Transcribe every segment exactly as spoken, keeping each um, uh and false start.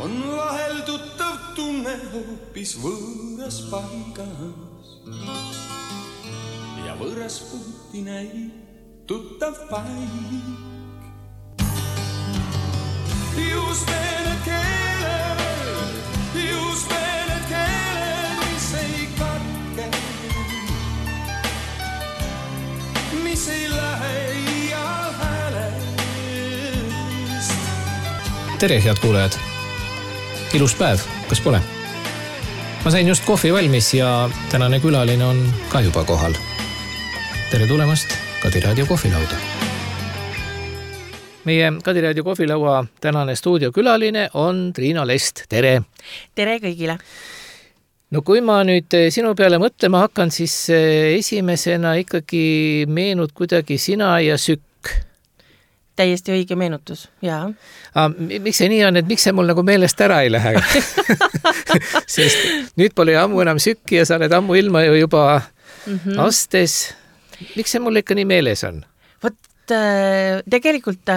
on vahel tuttav tunne hoopis võõras paigas ja võõras puuti näib tuttav paik. Just need keeled, just need keeled, mis ei katke, mis ei lähe iial häälest. Tere, head kuulajad! Ilus päev, kas pole? Ma sain just kohvi valmis ja tänane külaline on ka juba kohal. Tere tulemast Kadi Raadio kohvilauda. Meie Kadi Raadio kohvilaua tänane stuudiokülaline on Triina Lest. Tere! Tere kõigile! No kui ma nüüd sinu peale mõtlema hakkan, siis esimesena ikkagi meenud kuidagi sina ja Sükk. Täiesti õige meenutus, jaa. Ah, miks see nii on, et miks see mul nagu meelest ära ei lähe? Sest nüüd pole ammu enam Sükki ja sa oled ammu ilma ju juba mm-hmm. astes. Miks see mul ikka nii meeles on? Vot tegelikult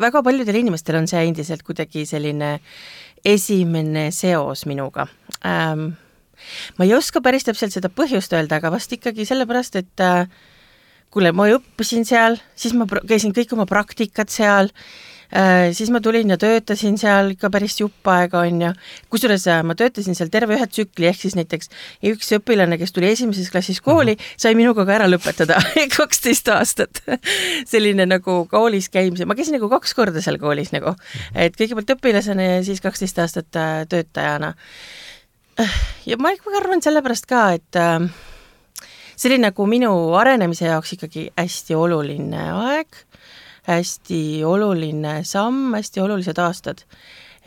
väga paljudel inimestel on see endiselt kuidagi selline esimene seos minuga. Ähm, ma ei oska päris täpselt seda põhjust öelda, aga vast ikkagi sellepärast, et kuule, ma õppisin seal, siis ma käisin kõik oma praktikat seal, siis ma tulin ja töötasin seal ikka päris jupp aega on ja kusjuures ma töötasin seal terve ühe tsükli, ehk siis näiteks üks õpilane, kes tuli esimeses klassis kooli, sai minuga ka ära lõpetada kaksteist aastat. Selline nagu koolis käimise, ma käisin nagu kaks korda seal koolis nagu, et kõigepealt õpilasena ja siis kaksteist aastat töötajana. Ja ma arvan sellepärast ka, et see oli nagu minu arenemise jaoks ikkagi hästi oluline aeg, hästi oluline samm, hästi olulised aastad.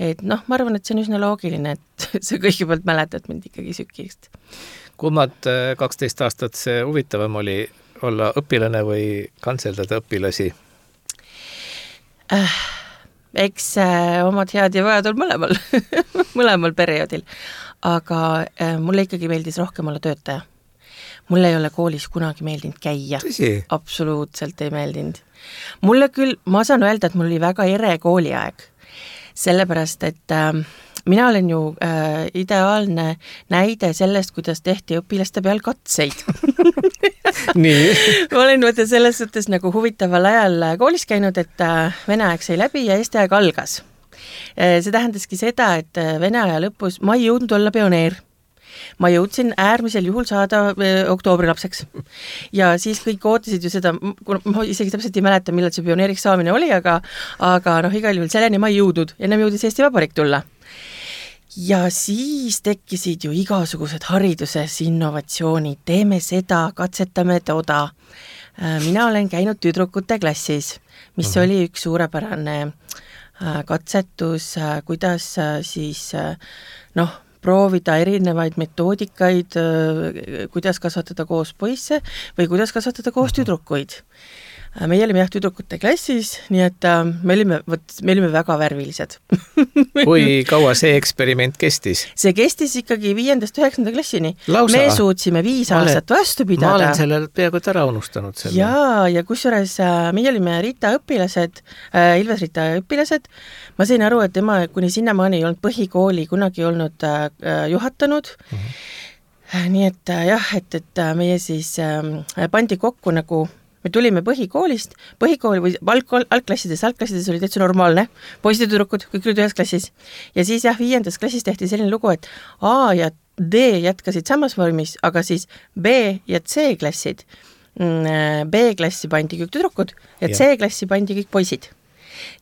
Et noh, ma arvan, et see on üsna loogiline, et sa kõigepealt mäletad mind ikkagi Sükist. Kummad kaksteist aastat see huvitavam oli olla õpilane või kantseldada õpilasi? Äh, eks äh, omad head ja vajad on mõlemal, mõlemal perioodil. Aga äh, mulle ikkagi meeldis rohkem olla töötaja. Mulle ei ole koolis kunagi meeldinud käia. Tõsi? Absoluutselt ei meeldinud. Mulle küll, ma saan öelda, et mul oli väga ere kooliaeg. Sellepärast, et äh, mina olen ju äh, ideaalne näide sellest, kuidas tehti õpilaste peal katseid. Nii. Ma olen võtta selles suhtes nagu huvitaval ajal koolis käinud, et äh, vene aeg sai läbi ja eesti aeg algas. Äh, see tähendaski seda, et vene aja lõpus ma ei jõudnud olla pioneer. Ma jõudsin äärmisel juhul saada oktoobrilapseks. Ja siis kõik ootasid ju seda, ma isegi täpselt ei mäleta, millal see pioneeriks saamine oli, aga, aga noh, igal juhul selleni ma ei jõudnud. Ennem jõudis Eesti Vabariik tulla. Ja siis tekkisid ju igasugused hariduses innovatsioonid. Teeme seda, katsetame toda. Mina olen käinud tüdrukute klassis, mis uh-huh. oli üks suurepärane katsetus, kuidas siis noh, proovida erinevaid metoodikaid, kuidas kasvatada koos poisse või kuidas kasvatada koos tüdrukuid. Me olime jah tüdrukute klassis, nii et me olime, võt, me olime väga värvilised. Kui kaua see eksperiment kestis? See kestis ikkagi viiendast üheksanda klassini. Lausa? Me suutsime viis olen, aastat vastu pidada. Ma olen selle peaaegu ära unustanud. Selle. Jaa, ja kusjuures meie olime Rita õpilased, Ilves Rita õpilased. Ma sain aru, et tema kuni sinnamaani ei olnud põhikooli kunagi olnud juhatanud. Uh-huh. Nii et jah, et, et meie siis pandi kokku nagu me tulime põhikoolist, põhikooli või alg- algklassides, algklassides oli täitsa normaalne, poisid ja tüdrukud, kõik olid ühes klassis. Ja siis jah, viiendas klassis tehti selline lugu, et A ja D jätkasid samas vormis, aga siis B ja C klassid. B-klassi pandi kõik tüdrukud ja C-klassi pandi kõik poisid.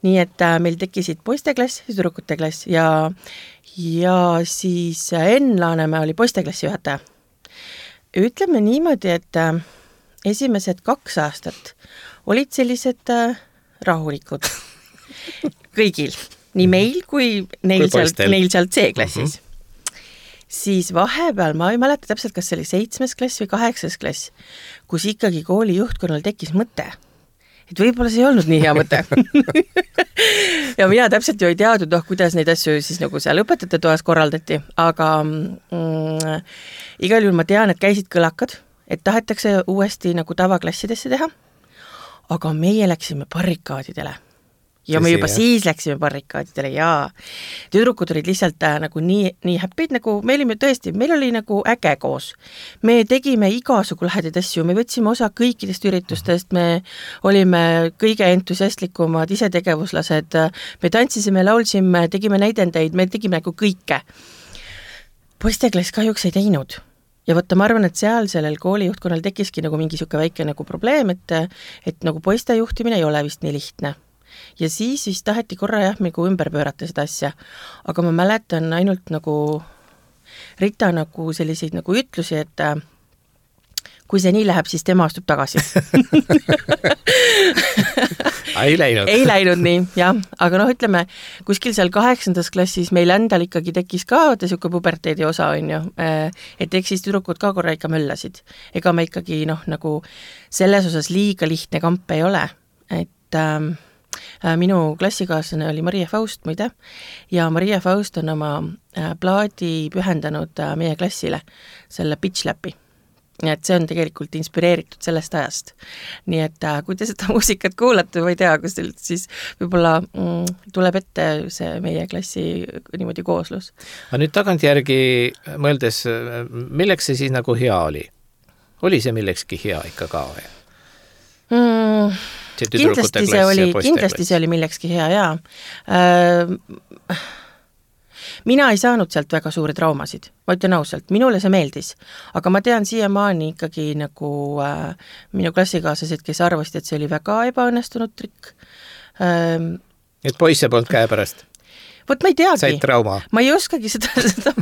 Nii et meil tekkisid poisteklass ja tüdrukute klass ja, ja siis Enn Laanemäe oli poisteklassi juhataja. Ütleme niimoodi, et esimesed kaks aastat olid sellised äh, rahulikud kõigil, nii meil kui neil, kui sealt, neil sealt C-klassis. Uh-huh. Siis vahepeal, ma ei mäleta täpselt, kas see oli seitsmes klass või kaheksas klass, kus ikkagi kooli juhtkonnal tekkis mõte, et võib-olla see ei olnud nii hea mõte. Ja mina täpselt ju ei teadnud, noh, kuidas neid asju siis nagu seal õpetajate toas korraldati, aga mm, igal juhul ma tean, et käisid kõlakad, et tahetakse uuesti nagu tavaklassidesse teha, aga meie läksime barrikaadidele. ja me juba siis läksime barrikaadidele ja tüdrukud olid lihtsalt äh, nagu nii, nii happy'd, nagu me olime tõesti, meil oli nagu äge koos. Me tegime igasugu lahedaid asju, me võtsime osa kõikidest üritustest, me olime kõige entusiastlikumad isetegevuslased, me tantsisime, laulsime, tegime näidendeid, me tegime nagu kõike. Poisteklass kahjuks ei teinud. Ja võtta, ma arvan, et seal sellel koolijuhtkonnal tekkiski nagu mingi siuke väike nagu probleem, et, et nagu poiste juhtimine ei ole vist nii lihtne. Ja siis siis taheti korra jah, nagu ümber pöörata seda asja, aga ma mäletan ainult nagu Rita nagu selliseid nagu ütlusi, et kui see nii läheb, siis tema astub tagasi. ei läinud. ei läinud nii, jah. Aga noh, ütleme, kuskil seal kaheksandas klassis meil endal ikkagi tekkis ka vaata siuke puberteedi osa, on ju, et eks siis tüdrukud ka korra ikka möllasid. Ega me ikkagi noh, nagu selles osas liiga lihtne kamp ei ole, et ähm, minu klassikaaslane oli Maria Faust, muide, ja Maria Faust on oma plaadi pühendanud meie klassile, selle Pitch Lapi. Et see on tegelikult inspireeritud sellest ajast. Nii et kui te seda muusikat kuulate, ma ei tea, kus teil siis võib-olla mm, tuleb ette see meie klassi niimoodi kooslus. Aga nüüd tagantjärgi mõeldes, milleks see siis nagu hea oli? Oli see millekski hea ikka ka või? Mm, kindlasti see oli, kindlasti see oli millekski hea, jaa. Äh, mina ei saanud sealt väga suuri traumasid, ma ütlen ausalt, minule see meeldis, aga ma tean siiamaani ikkagi nagu äh, minu klassikaaslased, kes arvasid, et see oli väga ebaõnnestunud trikk. Äh, et poisse polnud käe pärast? Vot ma ei teagi. Said trauma? Ma ei oskagi seda, seda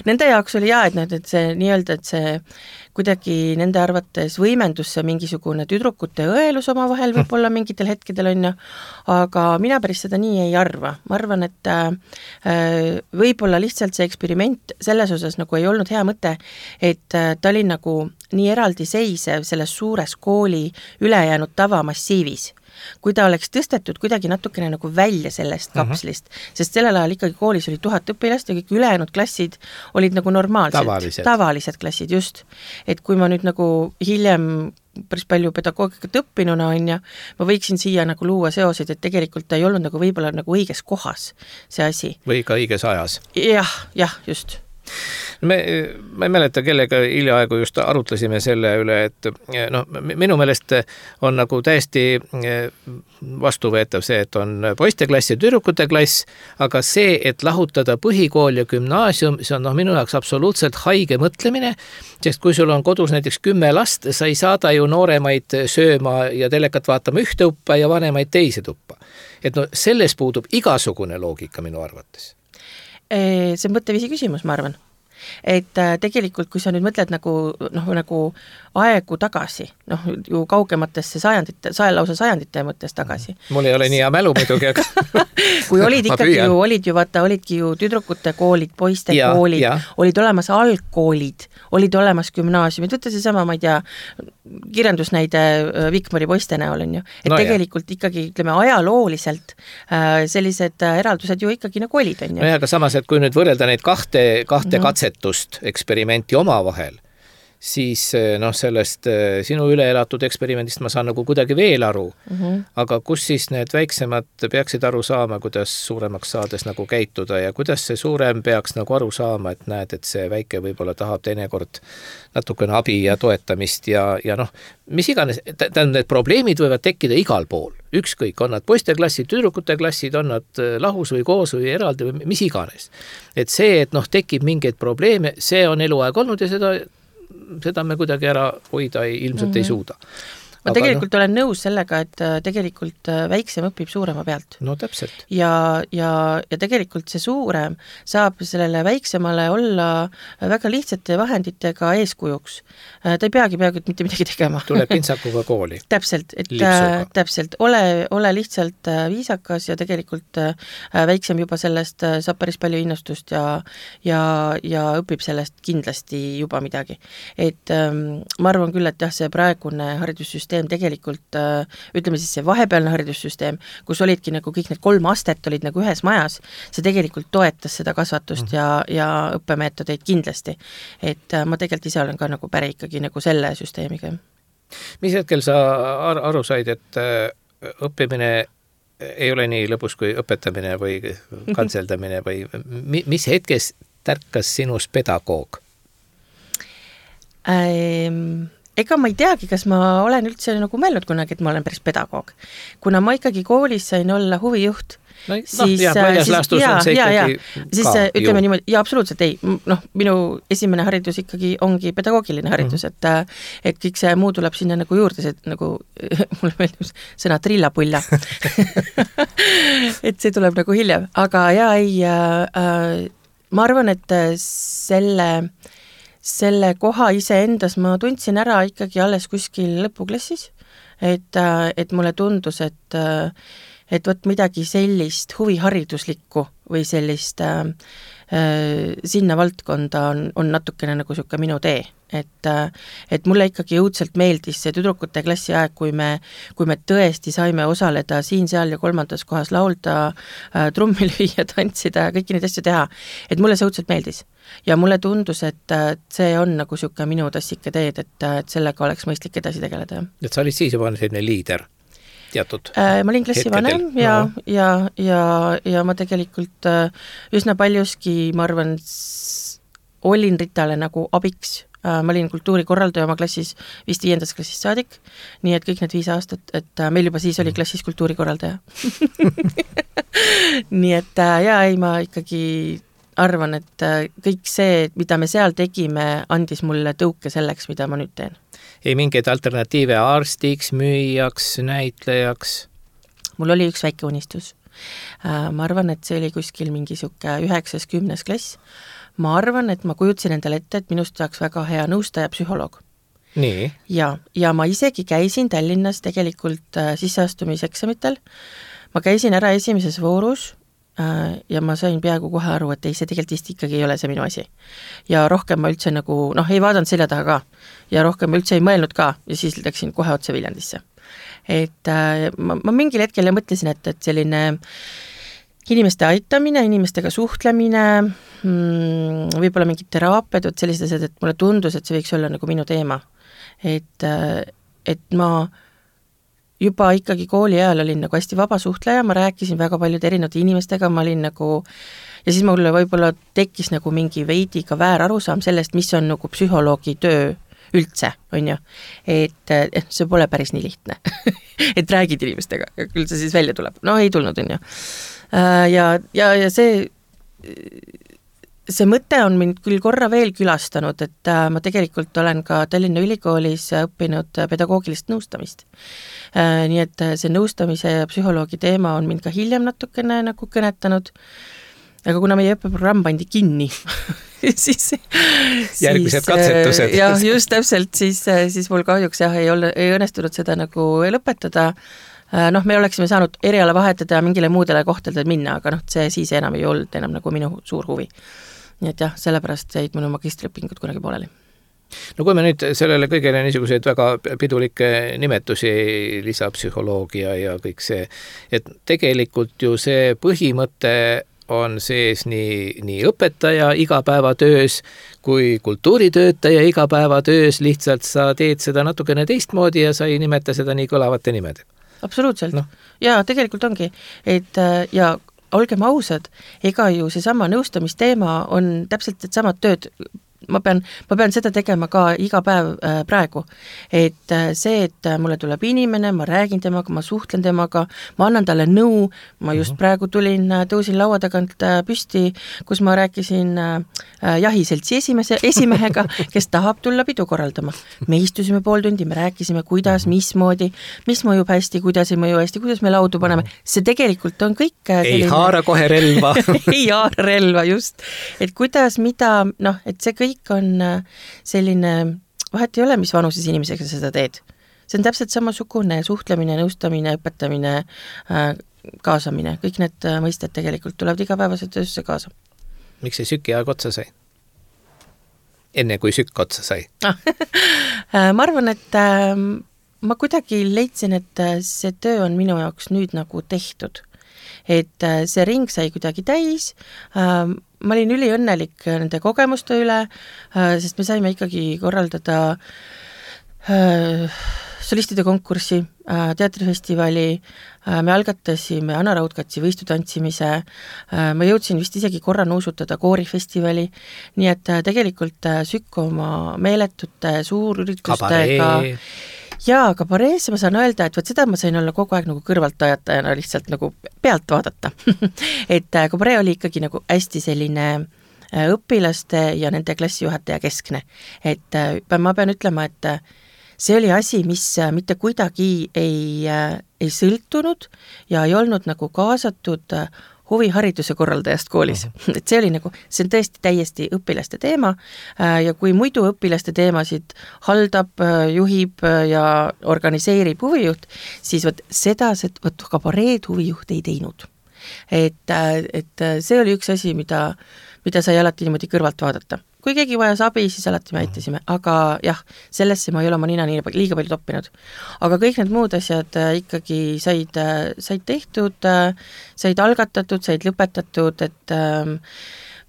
nende jaoks oli jaa, et, need, et see nii-öelda, et see kuidagi nende arvates võimendus see mingisugune tüdrukute õelus oma vahel võib-olla mingitel hetkedel on ju, aga mina päris seda nii ei arva. Ma arvan, et äh, võib-olla lihtsalt see eksperiment selles osas nagu ei olnud hea mõte, et äh, ta oli nagu nii eraldi seisev selles suures kooli ülejäänud tavamassiivis. Kui ta oleks tõstetud kuidagi natukene nagu välja sellest kapslist, uh-huh. sest sellel ajal ikkagi koolis oli tuhat õpilast ja kõik ülejäänud klassid olid nagu normaalsed, tavalised, tavalised klassid, just. Et kui ma nüüd nagu hiljem päris palju pedagoogikat õppinuna on ja ma võiksin siia nagu luua seosid, et tegelikult ta ei olnud nagu võib-olla nagu õiges kohas see asi. Või ka õiges ajas. Jah, jah, just. Me, ma ei mäleta, kellega hiljaaegu just arutlesime selle üle, et no, minu meelest on nagu täiesti vastuvõetav see, et on poisteklass ja tüdrukute klass, aga see, et lahutada põhikool ja gümnaasium, see on no, minu jaoks absoluutselt haige mõtlemine, sest kui sul on kodus näiteks kümme last, sa ei saada ju nooremaid sööma ja telekat vaatama ühte tuppa ja vanemaid teise tuppa. Et no selles puudub igasugune loogika minu arvates. See on mõtteviisi küsimus, ma arvan. Et äh, tegelikult, kui sa nüüd mõtled nagu, noh, nagu aegu tagasi, noh, ju kaugematesse sajandite, saja lausa sajandite mõttes tagasi. Mul ei ole nii hea mälu muidugi, aga kui olid ikkagi ju, olid ju, vaata, olidki ju tüdrukute koolid, poiste ja, koolid, ja. Olid olemas algkoolid, olid olemas gümnaasiumid, võtta see sama, ma ei tea, kirjandusnäide Vikmari poiste näol on ju. Et no tegelikult jah. Ikkagi, ütleme, ajalooliselt äh, sellised eraldused ju ikkagi nagu olid, on ju. No jah, aga samas, et kui nüüd võrrelda neid kahte, kahte mm-hmm. katsetust, eksperimenti oma vahel, siis noh, sellest sinu üleelatud eksperimendist ma saan nagu kuidagi veel aru, mm-hmm. aga kus siis need väiksemad peaksid aru saama, kuidas suuremaks saades nagu käituda ja kuidas see suurem peaks nagu aru saama, et näed, et see väike võib-olla tahab teinekord natukene abi ja toetamist ja, ja noh, mis iganes, tähendab, need probleemid võivad tekkida igal pool, ükskõik, on nad poisteklassid, tüdrukute klassid, on nad lahus või koos või eraldi või mis iganes. Et see, et noh, tekib mingeid probleeme, see on eluaeg olnud ja seda seda me kuidagi ära hoida ei, ilmselt mm-hmm. ei suuda. Ma aga tegelikult no, olen nõus sellega, et tegelikult väiksem õpib suurema pealt. No täpselt. Ja, ja, ja tegelikult see suurem saab sellele väiksemale olla väga lihtsate vahenditega eeskujuks. Ta ei peagi peagi mitte midagi tegema. Tuleb pintsakuga kooli. Täpselt, et Lipsuga. Täpselt, ole, ole lihtsalt viisakas ja tegelikult väiksem juba sellest saab päris palju innustust ja, ja, ja õpib sellest kindlasti juba midagi. Et ähm, ma arvan küll, et jah, see praegune haridussüsteem tegelikult, ütleme siis see vahepealne haridussüsteem, kus olidki nagu kõik need kolm astet olid nagu ühes majas, see tegelikult toetas seda kasvatust mm. ja, ja õppemeetodeid kindlasti. Et ma tegelikult ise olen ka nagu päri ikkagi nagu selle süsteemiga. Mis hetkel sa aru said, et õppimine ei ole nii lõbus kui õpetamine või kantseldamine või mis hetkes tärkas sinus pedagoog? Ähm, ega ma ei teagi, kas ma olen üldse nagu mõelnud kunagi, et ma olen päris pedagoog. Kuna ma ikkagi koolis sain olla huvijuht, no, siis, no, jah, väljas laastus on see ja, ikkagi ja. Siis ka, ütleme ju. Niimoodi, ja absoluutselt ei, noh, minu esimene haridus ikkagi ongi pedagoogiline haridus, mm. et, et kõik see muu tuleb sinna nagu juurde, see nagu, mulle meeldib sõna trillapulla. Et see tuleb nagu hiljem, aga ja ei, äh, ma arvan, et selle, selle koha ise endas ma tundsin ära ikkagi alles kuskil lõpuklassis, et, et mulle tundus, et et võt midagi sellist huvihariduslikku või sellist äh, sinna valdkonda on, on natukene nagu siuke minu tee, et, et mulle ikkagi õudselt meeldis see tüdrukute klassi aeg, kui me, kui me tõesti saime osaleda siin, seal ja kolmandas kohas laulda, äh, trummi lüüa, tantsida ja kõiki neid asju teha, et mulle see õudselt meeldis. Ja mulle tundus, et see on nagu siuke minu tassike teed, et, et sellega oleks mõistlik edasi tegeleda. Et sa olid siis juba selline liider? Teatud äh, ma olin klassi vanem ja, no. ja, ja, ja ma tegelikult äh, üsna paljuski, ma arvan, s- olin Ritale nagu abiks. Äh, ma olin kultuurikorraldaja oma klassis vist viiendast klassist saadik, nii et kõik need viis aastat, et äh, meil juba siis oli klassis kultuurikorraldaja. Nii et äh, ja ei, ma ikkagi arvan, et äh, kõik see, mida me seal tegime, andis mulle tõuke selleks, mida ma nüüd teen. Ei mingeid alternatiive arstiks, müüjaks, näitlejaks? Mul oli üks väike unistus. Ma arvan, et see oli kuskil mingi siuke üheksas kümnes klass. Ma arvan, et ma kujutsin endale ette, et minust saaks väga hea nõustaja psühholoog. Nii? Ja, ja ma isegi käisin Tallinnas tegelikult sisseastumiseksamitel. Ma käisin ära esimeses voorus ja ma sain peaaegu kohe aru, et ei, see tegelikult vist ikkagi ei ole see minu asi. Ja rohkem ma üldse nagu, noh, ei vaadanud selja taha ka. Ja rohkem ma üldse ei mõelnud ka ja siis läksin kohe otse Viljandisse. Et äh, ma, ma mingil hetkel ja mõtlesin, et, et selline inimeste aitamine, inimestega suhtlemine, mm, võib-olla mingid teraapiad, et sellised asjad, et mulle tundus, et see võiks olla nagu minu teema. Et, äh, et ma juba ikkagi kooli ajal olin nagu hästi vaba suhtleja, ma rääkisin väga paljude erinevate inimestega, ma olin nagu, ja siis mulle võib-olla tekkis nagu mingi veidi ka väär arusaam sellest, mis on nagu psühholoogi töö üldse, on ju. Et, et see pole päris nii lihtne. Et räägid inimestega, küll see siis välja tuleb. No ei tulnud, on ju. Ja, ja, ja see, see mõte on mind küll korra veel külastanud, et ma tegelikult olen ka Tallinna Ülikoolis õppinud pedagoogilist nõustamist. Nii et see nõustamise ja psühholoogi teema on mind ka hiljem natukene nagu kõnetanud, aga kuna meie õppeprogramm pandi kinni, siis, järgmised katsetused. Ja just täpselt, siis, siis mul kahjuks jah, ei, ole, ei õnnestunud seda nagu lõpetada. Noh, me oleksime saanud eriala vahetada ja mingile muudele kohtadele minna, aga noh, see siis enam ei olnud enam nagu minu suur huvi. Nii et jah, sellepärast jäid minu magistriõpingud kunagi pooleli. No kui me nüüd sellele kõigele niisuguseid väga pidulikke nimetusi, lisapsühholoogia ja kõik see, et tegelikult ju see põhimõte on sees nii, nii õpetaja igapäevatöös kui kultuuritöötaja igapäevatöös, lihtsalt sa teed seda natukene teistmoodi ja sa ei nimeta seda nii kõlavate nimedega. Absoluutselt. No. Ja tegelikult ongi, et ja olgem ausad, ega ju seesama nõustamisteema on täpselt et samad tööd. Ma pean, ma pean seda tegema ka iga päev äh, praegu, et äh, see, et äh, mulle tuleb inimene, ma räägin temaga, ma suhtlen temaga, ma annan talle nõu, ma just praegu tulin, äh, tõusin laua tagant äh, püsti, kus ma rääkisin äh, jahiseltsi esimese, esimehega, kes tahab tulla pidu korraldama. Me istusime pool tundi, me rääkisime, kuidas, mismoodi, mis mõjub hästi, kuidas ei mõju hästi, kuidas me laudu paneme. See tegelikult on kõik selline... Ei haara kohe relva. Ei haara relva, just. Et kuidas, mida, noh, et see kõik on selline, vahet ei ole, mis vanuses inimesega seda teed. See on täpselt samasugune suhtlemine, nõustamine, õpetamine, kaasamine. Kõik need mõisted tegelikult tulevad igapäevase töösse kaasa. Miks see süki aeg otsa sai? Enne kui sükk otsa sai? Ma arvan, et ma kuidagi leidsin, et see töö on minu jaoks nüüd nagu tehtud. Et see ring sai kuidagi täis, ma olin üliõnnelik nende kogemuste üle, sest me saime ikkagi korraldada solistide konkurssi, teatrifestivali, me algatasime Anna Raudkatsi võistutantsimise, ma jõudsin vist isegi korra nuusutada koorifestivali, nii et tegelikult Sükk oma meeletute suurüritustega jaa, kabareesse ma saan öelda, et võt seda ma sain olla kogu aeg nagu kõrvaltajatajana lihtsalt nagu pealt vaadata. et kabaree oli ikkagi nagu hästi selline õpilaste ja nende klassijuhataja keskne. Et ma pean ütlema, et see oli asi, mis mitte kuidagi ei, ei sõltunud ja ei olnud nagu kaasatud huvihariduse korraldajast koolis. Uh-huh. Et see oli nagu, see on tõesti täiesti õpilaste teema ja kui muidu õpilaste teemasid haldab, juhib ja organiseerib huvijuht, siis võt seda, see, võt kabareed huvijuht ei teinud. Et, et see oli üks asi, mida, mida sai alati niimoodi kõrvalt vaadata. Kui keegi vajas abi, siis alati me aitasime, aga jah, sellesse ma ei ole oma nina nii liiga palju toppinud. Aga kõik need muud asjad ikkagi said, said tehtud, said algatatud, said lõpetatud, et ähm,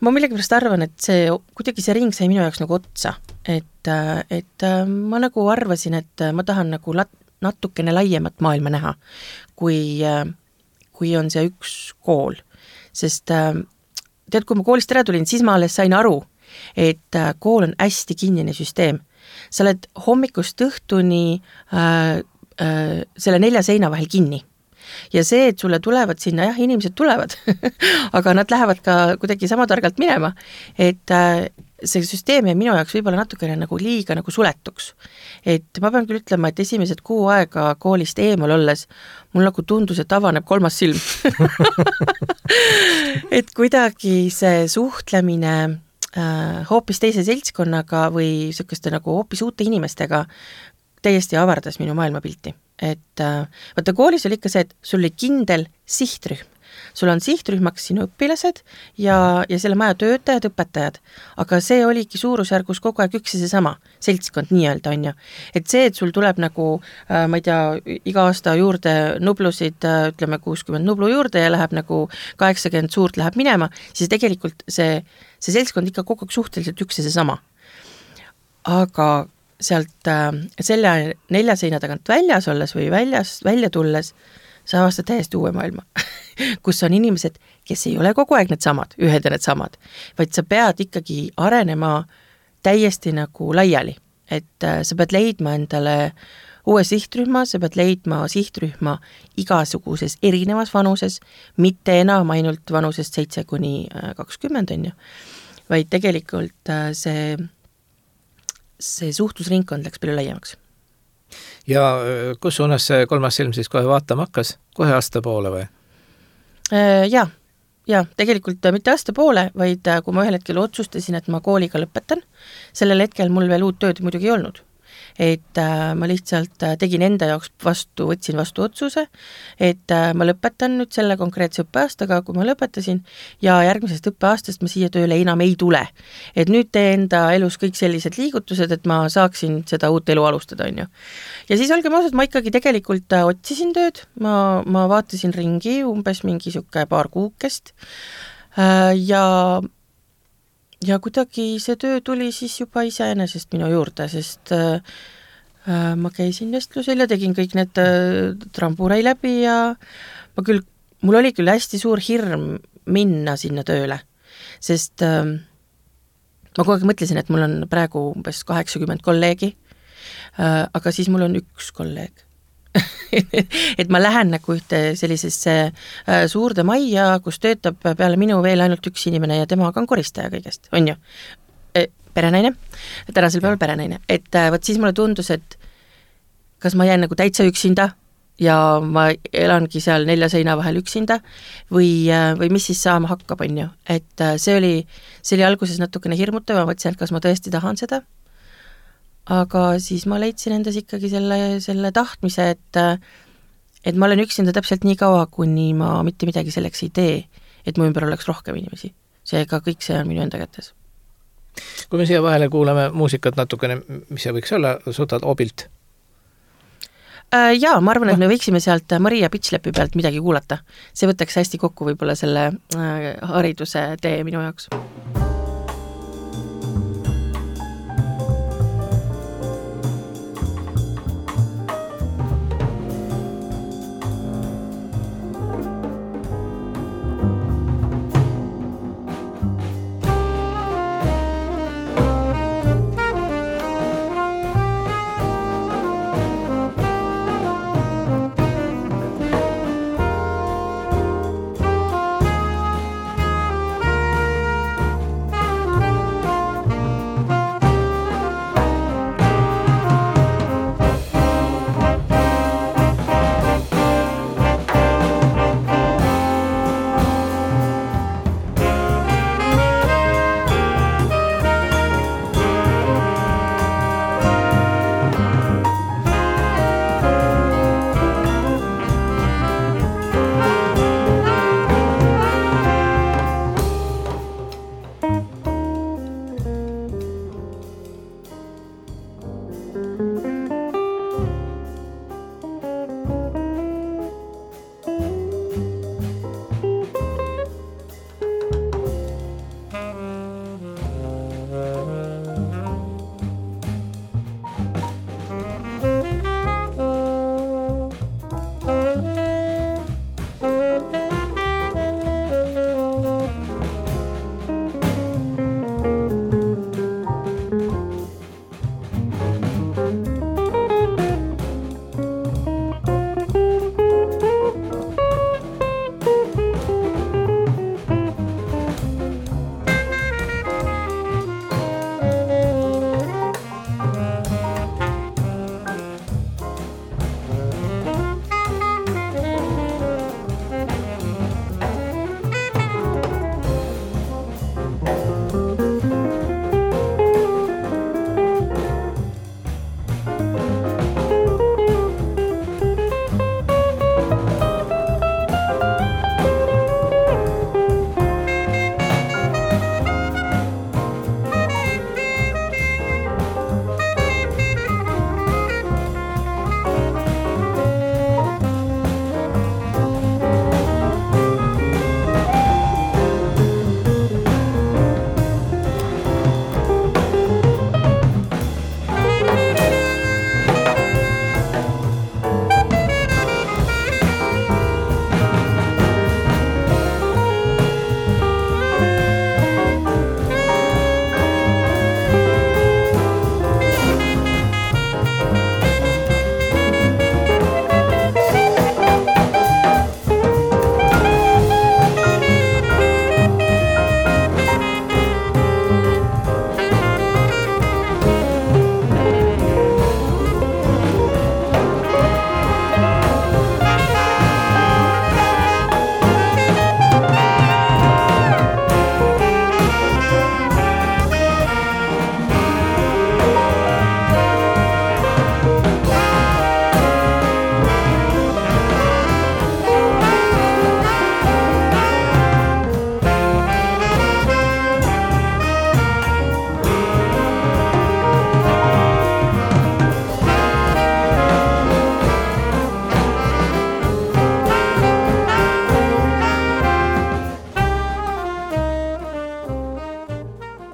ma millegipärast arvan, et see, kuidagi see ring sai minu jaoks nagu otsa. Et, et ma nagu arvasin, et ma tahan nagu lat, natukene laiemat maailma näha, kui, kui on see üks kool. Sest tead, kui ma koolist ära tulin, siis ma alles sain aru, et kool on hästi kinnine süsteem. Sa oled hommikust õhtuni äh, äh, selle nelja seina vahel kinni. Ja see, et sulle tulevad sinna, jah, inimesed tulevad, aga nad lähevad ka kuidagi sama targalt minema, et äh, see süsteem ja minu jaoks võib-olla natukene nagu liiga nagu suletuks. Et ma pean küll ütlema, et esimesed kuu aega koolist eemal olles mul nagu tundus, et avaneb kolmas silm. et kuidagi see suhtlemine äh, hoopis teise seltskonnaga või sükeste nagu hoopis uute inimestega täiesti avardas minu maailmapilti. Et äh, vaata koolis oli ikka see, et sul oli kindel sihtrühm. Sul on sihtrühmaks sinu õpilased ja, ja selle maja töötajad, õpetajad, aga see oligi suurusjärgus kogu aeg üks ja seesama seltskond nii-öelda on ju. Et see, et sul tuleb nagu, äh, ma ei tea, iga aasta juurde nublusid, äh, ütleme kuuskümmend nublu juurde ja läheb nagu kaheksakümmend suurt läheb minema, siis tegelikult see, see seltskond ikka kogu aeg suhteliselt üks ja seesama. Aga sealt äh, selle nelja seina tagant väljas olles või väljas, välja tulles, sa avastad täiesti uue maailma, kus on inimesed, kes ei ole kogu aeg need samad, ühed ja need samad, vaid sa pead ikkagi arenema täiesti nagu laiali, et äh, sa pead leidma endale uue sihtrühma, sa pead leidma sihtrühma igasuguses erinevas vanuses, mitte enam ainult vanusest seitse kuni kakskümmend on ju, vaid tegelikult äh, see, see suhtlusringkond läks palju laiemaks. Ja kus suunas see kolmas silm siis kohe vaatama hakkas? Kohe aasta poole või? Ja, ja tegelikult mitte aasta poole, vaid kui ma ühel hetkel otsustasin, et ma kooliga lõpetan, sellel hetkel mul veel uut tööd muidugi ei olnud. Et äh, ma lihtsalt tegin enda jaoks vastu, võtsin vastu otsuse, et äh, ma lõpetan nüüd selle konkreetse õppeaastaga, kui ma lõpetasin, ja järgmisest õppeaastast ma siia tööle enam ei tule. Et nüüd tee enda elus kõik sellised liigutused, et ma saaksin seda uut elu alustada, on ju. Ja siis olgem ausad, ma ikkagi tegelikult otsisin tööd, ma, ma vaatasin ringi umbes mingi siuke paar kuukest äh, ja Ja kuidagi see töö tuli siis juba iseenesest minu juurde, sest äh, ma käisin vestlusel ja tegin kõik need äh, tramburei läbi ja ma küll, mul oli küll hästi suur hirm minna sinna tööle, sest äh, ma kogu aeg mõtlesin, et mul on praegu umbes kaheksakümmend kolleegi, äh, aga siis mul on üks kolleeg. et ma lähen nagu ühte sellisesse äh, suurde majja, kus töötab peale minu veel ainult üks inimene ja temaga on koristaja kõigest, on ju? E, perenaine, tänasel päeval perenaine, et äh, võt siis mulle tundus, et kas ma jään nagu täitsa üksinda ja ma elangi seal nelja seina vahel üksinda või, äh, või mis siis saama hakkab, on ju? Et äh, see oli, see oli alguses natukene hirmutav, ma mõtlesin, et kas ma tõesti tahan seda, aga siis ma leidsin endas ikkagi selle, selle tahtmise, et, et ma olen üksinda täpselt nii kaua, kuni ma mitte midagi selleks ei tee, et mu ümber oleks rohkem inimesi. Seega kõik see on minu enda kätes. Kui me siia vahele kuulame muusikat natukene, mis see võiks olla, suhtad obilt? Äh, jaa, ma arvan, et me võiksime sealt Maria Pitchlepi pealt midagi kuulata. See võtaks hästi kokku võib-olla selle äh, hariduse tee minu jaoks.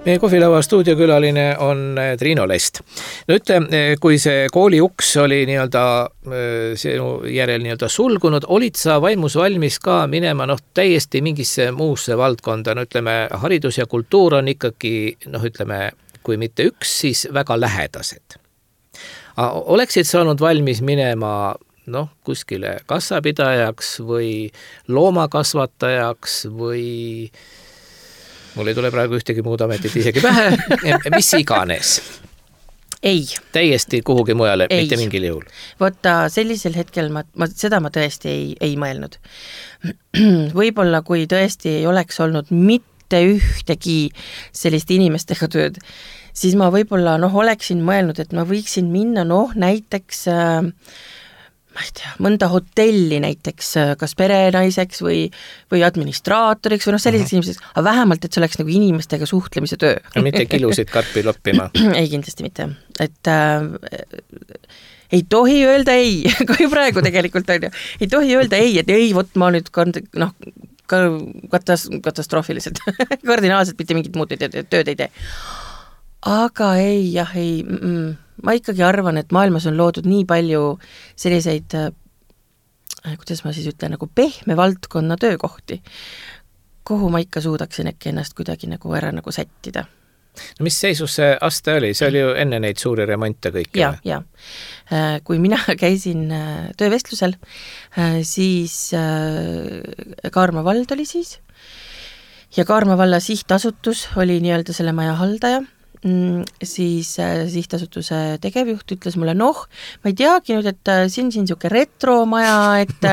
Meie kohvilaua stuudiokülaline on Triino Lest. No ütle, kui see kooli uks oli nii-öelda sinu järel nii-öelda sulgunud, olid sa vaimus valmis ka minema noh, täiesti mingisse muusse valdkonda, no ütleme, haridus ja kultuur on ikkagi, noh ütleme, kui mitte üks, siis väga lähedased. Oleksid saanud valmis minema noh, kuskile kassapidajaks või loomakasvatajaks või mul ei tule praegu ühtegi muud ametit isegi pähe, mis iganes. Ei. Täiesti kuhugi mujale, ei. Mitte mingil juhul. Võtta sellisel hetkel, ma, ma, seda ma tõesti ei, ei mõelnud. Võib-olla kui tõesti ei oleks olnud mitte ühtegi sellist inimestega tööd, siis ma võib-olla noh, oleksin mõelnud, et ma võiksin minna noh, näiteks äh, ma ei tea, mõnda hotelli näiteks kas perenaiseks või, või administraatoriks või noh, selliseks uh-huh. inimeseks, aga vähemalt, et see oleks nagu inimestega suhtlemise töö. Ja mitte kilusid karpi loppima. Ei, kindlasti mitte. Et äh, ei tohi öelda ei, ka ju praegu tegelikult on ju, ei tohi öelda ei, et ei, võt ma nüüd noh, katas, katastroofiliselt, kardinaalselt mitte mingit muud tööd ei tee. Aga ei, jah, ei, mm, ma ikkagi arvan, et maailmas on loodud nii palju selliseid, äh, kuidas ma siis ütlen, nagu pehme valdkonna töökohti, kuhu ma ikka suudaksin äkki ennast kuidagi nagu ära nagu sättida. No mis seisus see aste oli? See oli ju enne neid suuri remonte kõik. Ja, ja. Kui mina käisin töövestlusel, siis Kaarma vald oli siis ja Kaarma valla sihtasutus oli nii-öelda selle maja haldaja. Siis sihtasutuse tegevjuht ütles mulle, noh, ma ei teagi nüüd, et siin siin siuke retromaja, et,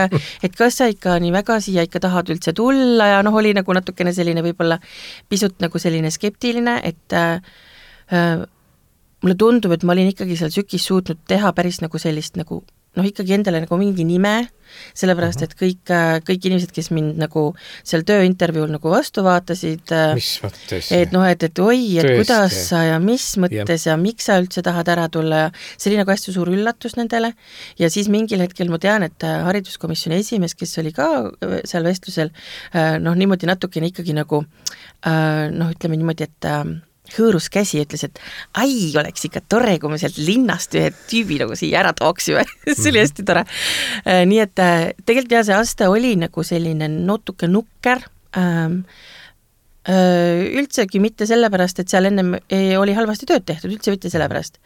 et kas sa ikka nii väga siia ikka tahad üldse tulla ja noh, oli nagu natukene selline võib-olla pisut nagu selline skeptiline, et äh, mulle tundub, et ma olin ikkagi seal sükis suutnud teha päris nagu sellist nagu noh, ikkagi endale nagu mingi nime, sellepärast, et kõik, kõik inimesed, kes mind nagu seal tööintervjuul nagu vastu vaatasid, mis mõttes? Et noh, et, et oi, et Tõesti. Kuidas sa ja mis mõttes ja. ja miks sa üldse tahad ära tulla ja see oli nagu hästi suur üllatus nendele ja siis mingil hetkel ma tean, et hariduskomisjoni esimees, kes oli ka seal vestlusel, noh, niimoodi natukene ikkagi nagu noh, ütleme niimoodi, et hõõrus käsi, ütles, et ai, oleks ikka tore, kui me sealt linnast ühe tüübi nagu siia ära tooksime. See oli hästi tore. Nii et tegelikult jah, see aste oli nagu selline natuke nukker, ähm, üldsegi mitte sellepärast, et seal ennem oli halvasti tööd tehtud, üldse mitte sellepärast.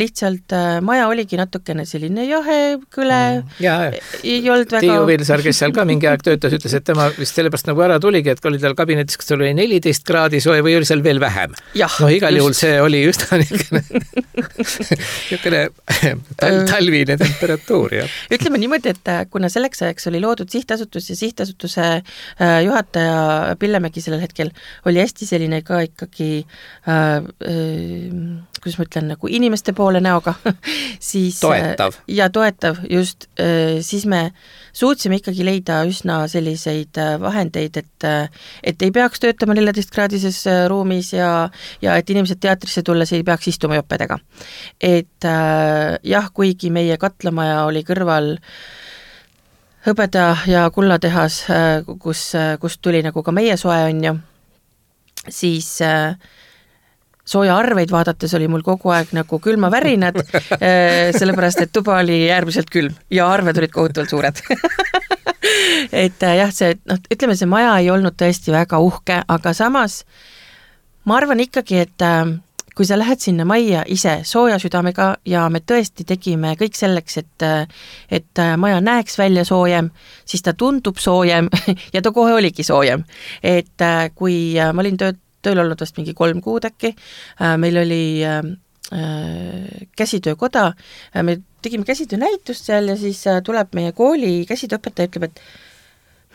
Lihtsalt maja oligi natukene selline jahe, kõle, ja, ei olnud väga... Tiiu Vilsar, kes seal ka mingi aeg töötas, ütles, et tema vist sellepärast nagu ära tuligi, et oli tal kabinetis, kas tal oli neliteist kraadi soe või oli seal veel vähem. No igal just. Juhul see oli just niisugune tal, talvine temperatuur. Ja. Ütleme niimoodi, et kuna selleks ajaks oli loodud sihtasutus ja sihtasutuse juhataja Pillemägi sellel hetkel oli hästi selline ka ikkagi äh, äh, kuidas ma ütlen, nagu inimeste poole näoga siis, toetav. Ja toetav, just, äh, siis me suutsime ikkagi leida üsna selliseid vahendeid, et, et ei peaks töötama neljateistkraadises ruumis ja, ja et inimesed teatrisse tulles ei peaks istuma joppedega. Et äh, jah, kuigi meie katlamaja oli kõrval hõbeda ja kullatehas, kus, kus tuli nagu ka meie soe on ju, siis äh, sooja arveid vaadates oli mul kogu aeg nagu külmavärinad, äh, sellepärast, et tuba oli äärmiselt külm ja arved olid kohutavalt suured. et äh, jah, see, noh, ütleme, see maja ei olnud tõesti väga uhke, aga samas ma arvan ikkagi, et äh, kui sa lähed sinna majja ise sooja südamega ja me tõesti tegime kõik selleks, et, et maja näeks välja soojem, siis ta tundub soojem ja ta kohe oligi soojem. Et kui ma olin töö, tööl olnud vast mingi kolm kuud äkki, meil oli äh, käsitöökoda, me tegime käsitöönäitust seal ja siis tuleb meie kooli käsitööõpetaja, ütleb, et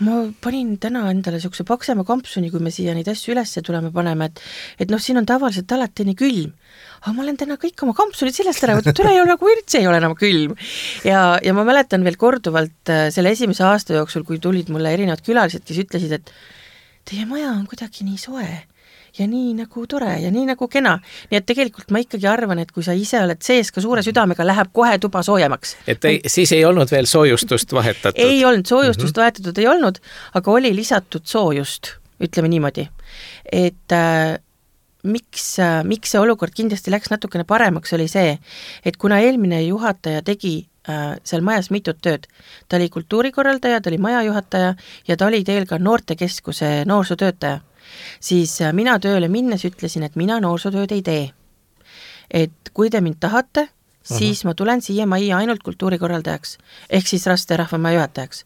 ma panin täna endale siukse paksema kampsuni, kui me siia neid asju üles tuleme paneme, et, et noh, siin on tavaliselt alati nii külm. Aga ma olen täna kõik oma kampsunid sellest ära võtnud, üle ei ole nagu üldse ei ole enam külm. Ja, ja ma mäletan veel korduvalt selle esimese aasta jooksul, kui tulid mulle erinevad külalised, kes ütlesid, et teie maja on kuidagi nii soe ja nii nagu tore ja nii nagu kena. Nii et tegelikult ma ikkagi arvan, et kui sa ise oled sees ka suure südamega, läheb kohe tuba soojemaks. Et ei, siis ei olnud veel soojustust vahetatud? Ei olnud, soojustust mm-hmm. vahetatud ei olnud, aga oli lisatud soojust, ütleme niimoodi. Et äh, miks, miks see olukord kindlasti läks natukene paremaks, oli see, et kuna eelmine juhataja tegi äh, seal majas mitut tööd, ta oli kultuurikorraldaja, ta oli majajuhataja ja ta oli teel ka noortekeskuse noorsootöötaja, siis äh, mina tööle minnes ütlesin, et mina noorsootööd ei tee. Et kui te mind tahate, siis uh-huh. ma tulen siia majja ainult kultuurikorraldajaks, ehk siis Raste rahvamaja juhatajaks.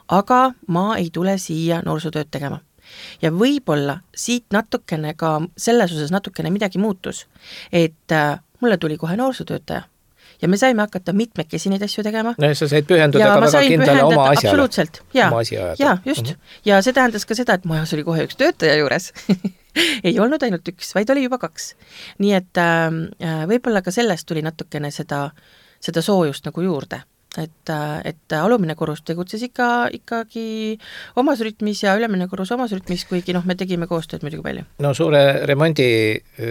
Aga ma ei tule siia noorsootööd tegema. Ja võib-olla siit natukene ka selles osas natukene midagi muutus, et äh, mulle tuli kohe noorsootöötaja ja me saime hakata mitmekesi neid asju tegema. No sa said pühenduda ja ka väga kindlale oma asjale. Absoluutselt, jaa, ja, just. Uh-huh. Ja see tähendas ka seda, et majas oli kohe üks töötaja juures. Ei olnud ainult üks, vaid oli juba kaks. Nii et äh, võib-olla ka sellest tuli natukene seda, seda soojust nagu juurde. Et, et alumine korrus tegutses ikka, ikkagi omas rütmis ja ülemine korrus omas rütmis, kuigi noh, me tegime koostööd muidugi palju. No suure remondi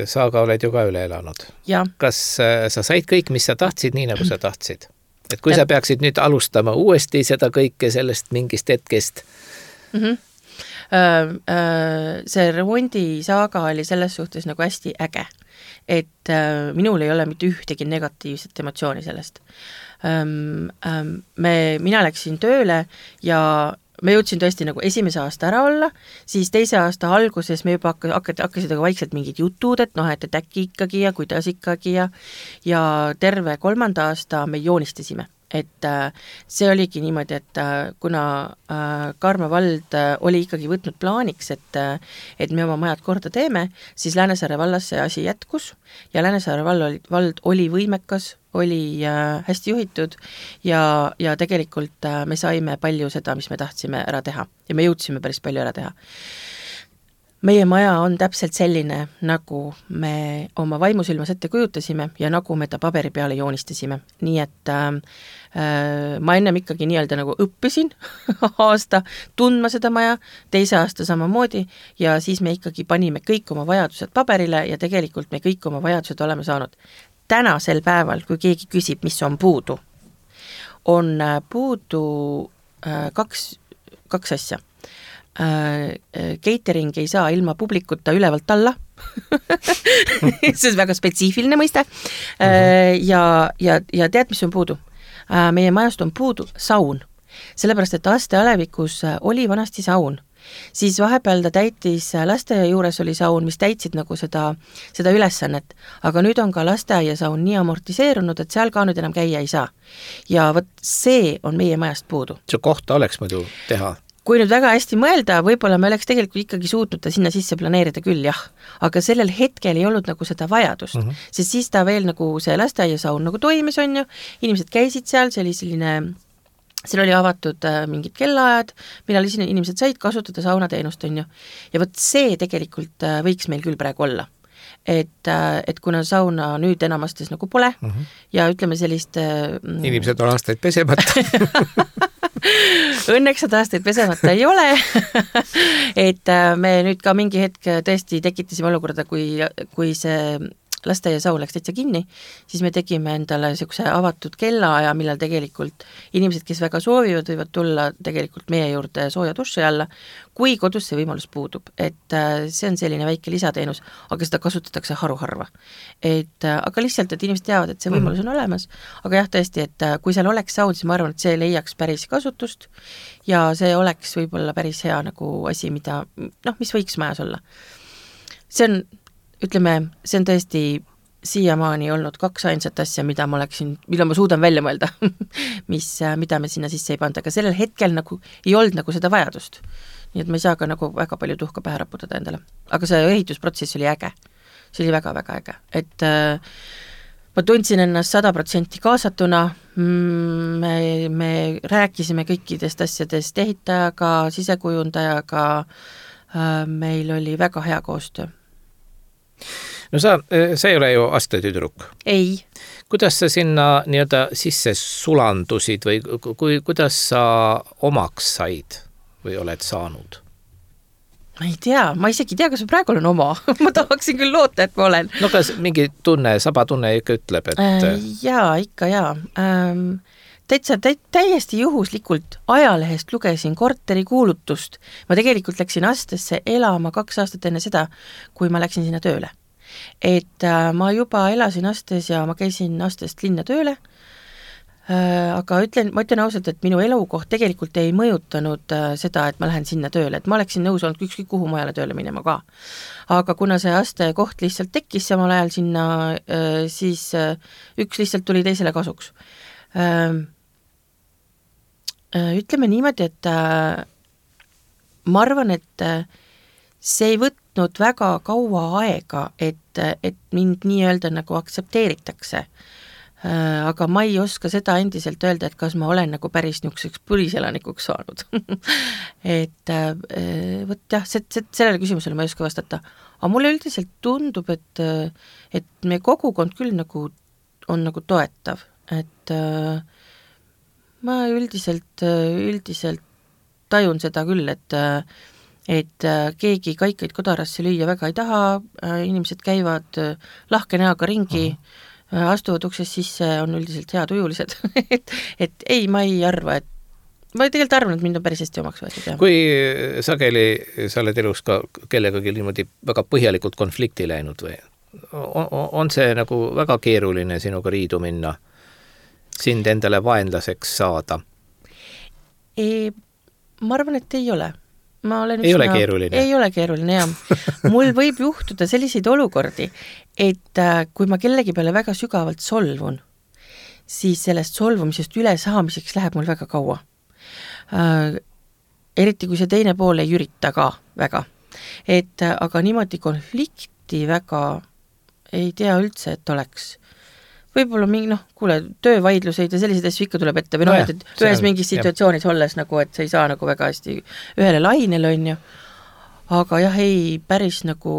saaga oled ju ka üle elanud. Ja. Kas sa said kõik, mis sa tahtsid, nii nagu sa tahtsid? Et kui ja. Sa peaksid nüüd alustama uuesti seda kõike sellest mingist hetkest? Mhm. Uh, uh, see remondi saaga oli selles suhtes nagu hästi äge, et uh, minul ei ole mitte ühtegi negatiivset emotsiooni sellest. Um, um, me, mina läksin tööle ja me jõudsin tõesti nagu esimese aasta ära olla, siis teise aasta alguses me juba hakkasid, hakkasid vaikselt mingid jutud, et noh, et, et äkki ikkagi ja kuidas ikkagi ja, ja terve kolmanda aasta me joonistasime. Et äh, see oligi niimoodi, et äh, kuna äh, Kaarma vald äh, oli ikkagi võtnud plaaniks, et, äh, et me oma majad korda teeme, siis Läänesaare vallas see asi jätkus ja Läänesaare vald oli, vald oli võimekas, oli äh, hästi juhitud ja, ja tegelikult äh, me saime palju seda, mis me tahtsime ära teha ja me jõudsime päris palju ära teha. Meie maja on täpselt selline, nagu me oma vaimusilmas ette kujutasime ja nagu me ta paberi peale joonistasime. Nii et äh, ma ennem ikkagi nii-öelda nagu õppisin aasta tundma seda maja, teise aasta samamoodi ja siis me ikkagi panime kõik oma vajadused paberile ja tegelikult me kõik oma vajadused oleme saanud. Tänasel päeval, kui keegi küsib, mis on puudu, on puudu äh, kaks, kaks asja. Uh, catering ei saa ilma publikuta ülevalt alla see on väga spetsiifiline mõiste uh, ja, ja, ja tead, mis on puudu? Uh, meie majast on puudu saun, sellepärast et Aste Alevikus oli vanasti saun, siis vahepeal ta täitis, lasteaia juures oli saun, mis täitsid nagu seda, seda ülesannet, aga nüüd on ka lasteaia saun nii amortiseerunud, et seal ka nüüd enam käia ei saa ja võt see on meie majast puudu. See kohta oleks muidu teha? Kui nüüd väga hästi mõelda, võib-olla me oleks tegelikult ikkagi suutnud ta sinna sisse planeerida küll, jah. Aga sellel hetkel ei olnud nagu seda vajadust, uh-huh. sest siis ta veel nagu see lasteaiasaun nagu toimis on ju, inimesed käisid seal, see oli selline, seal oli avatud äh, mingid kellaajad, millal inimesed said kasutada saunateenust on ju, ja võt see tegelikult äh, võiks meil küll praegu olla. Et, äh, et kuna sauna nüüd enamastes nagu pole uh-huh. ja ütleme sellist äh, inimesed on aastaid pesemata õnneks seda aastaid pesemata ei ole et me nüüd ka mingi hetk tõesti tekitasime olukorda, kui, kui see lasteaia saun läks täitsa kinni, siis me tegime endale niisuguse avatud kellaaja, millal tegelikult inimesed, kes väga soovivad, võivad tulla tegelikult meie juurde sooja duši alla, kui kodus see võimalus puudub. Et see on selline väike lisateenus, aga seda kasutatakse haruharva. Et, aga lihtsalt, et inimesed teavad, et see võimalus on olemas, aga jah, tõesti, et kui seal oleks saun, siis ma arvan, et see leiaks päris kasutust ja see oleks võib-olla päris hea nagu asi, mida, noh, mis võiks majas olla. See on ütleme, see on tõesti siiamaani olnud kaks ainsat asja, mida ma oleksin, mida ma suudan välja mõelda, mis, mida me sinna sisse ei panda, aga sellel hetkel nagu ei olnud nagu seda vajadust. Nii et ma ei saa ka nagu väga palju tuhka pähe raputada endale. Aga see ehitusprotsess oli äge. See oli väga-väga äge. Et äh, ma tundsin ennast sada protsenti kaasatuna, me, me rääkisime kõikidest asjadest ehitajaga, sisekujundajaga, äh, meil oli väga hea koostöö. No sa, sa ei ole ju astetüdruk. Ei. Kuidas sa sinna nii-öelda sisse sulandusid või kui, kuidas sa omaks said või oled saanud? Ma ei tea, ma isegi tea, kas ma praegu olen oma. ma tahaksin küll loota, et ma olen. No kas mingi tunne, sabatunne ikka ütleb, et... Äh, jaa, ikka jaa. Ähm, täitsa tä- täiesti juhuslikult ajalehest lugesin korteri kuulutust. Ma tegelikult läksin Astesse elama kaks aastat enne seda, kui ma läksin sinna tööle. et äh, ma juba elasin Astes ja ma käisin Astest linna tööle, äh, aga ütlen, ma ütlen ausalt, et minu elukoht tegelikult ei mõjutanud äh, seda, et ma lähen sinna tööle, et ma oleksin nõus olnud ükskõik kuhu mujale tööle minema ka. Aga kuna see Aste koht lihtsalt tekkis samal ajal sinna, äh, siis äh, üks lihtsalt tuli teisele kasuks. Äh, äh, ütleme niimoodi, et äh, ma arvan, et äh, see ei võtnud väga kaua aega, et, et mind nii-öelda nagu aksepteeritakse. Äh, aga ma ei oska seda endiselt öelda, et kas ma olen nagu päris niisuguseks põliselanikuks saanud. et äh, võt jah, see, see, sellele küsimusele ma ei oska vastata. Aga mulle üldiselt tundub, et, et meie kogukond küll nagu on nagu toetav. Et äh, ma üldiselt, üldiselt tajun seda küll, et et keegi kaikaid kodarasse lüüa väga ei taha, inimesed käivad lahke näoga ringi, uh-huh. astuvad uksest sisse, on üldiselt head ujulised. et, et ei, ma ei arva, et ma tegelikult arvan, et mind on päris hästi omaks võetud. Jah. Kui sageli sa oled elus ka kellegagi niimoodi väga põhjalikult konflikti läinud või on, on see nagu väga keeruline sinuga riidu minna, sind endale vaenlaseks saada? Ei, ma arvan, et ei ole. Ma olen ei üsna, ole keeruline. Ei ole keeruline, jah. Mul võib juhtuda selliseid olukordi, et kui ma kellegi peale väga sügavalt solvun, siis sellest solvumisest üle saamiseks läheb mul väga kaua. Äh, eriti kui see teine pool ei ürita ka väga. Et aga niimoodi konflikti väga ei tea üldse, et oleks. Võib-olla mingi, noh, kuule, töövaidluseid ja selliseid asju ikka tuleb ette või noh, no, et, et ühes mingis situatsioonis jah. Olles nagu, et sa ei saa nagu väga hästi ühele lainele on ju, aga jah, ei päris nagu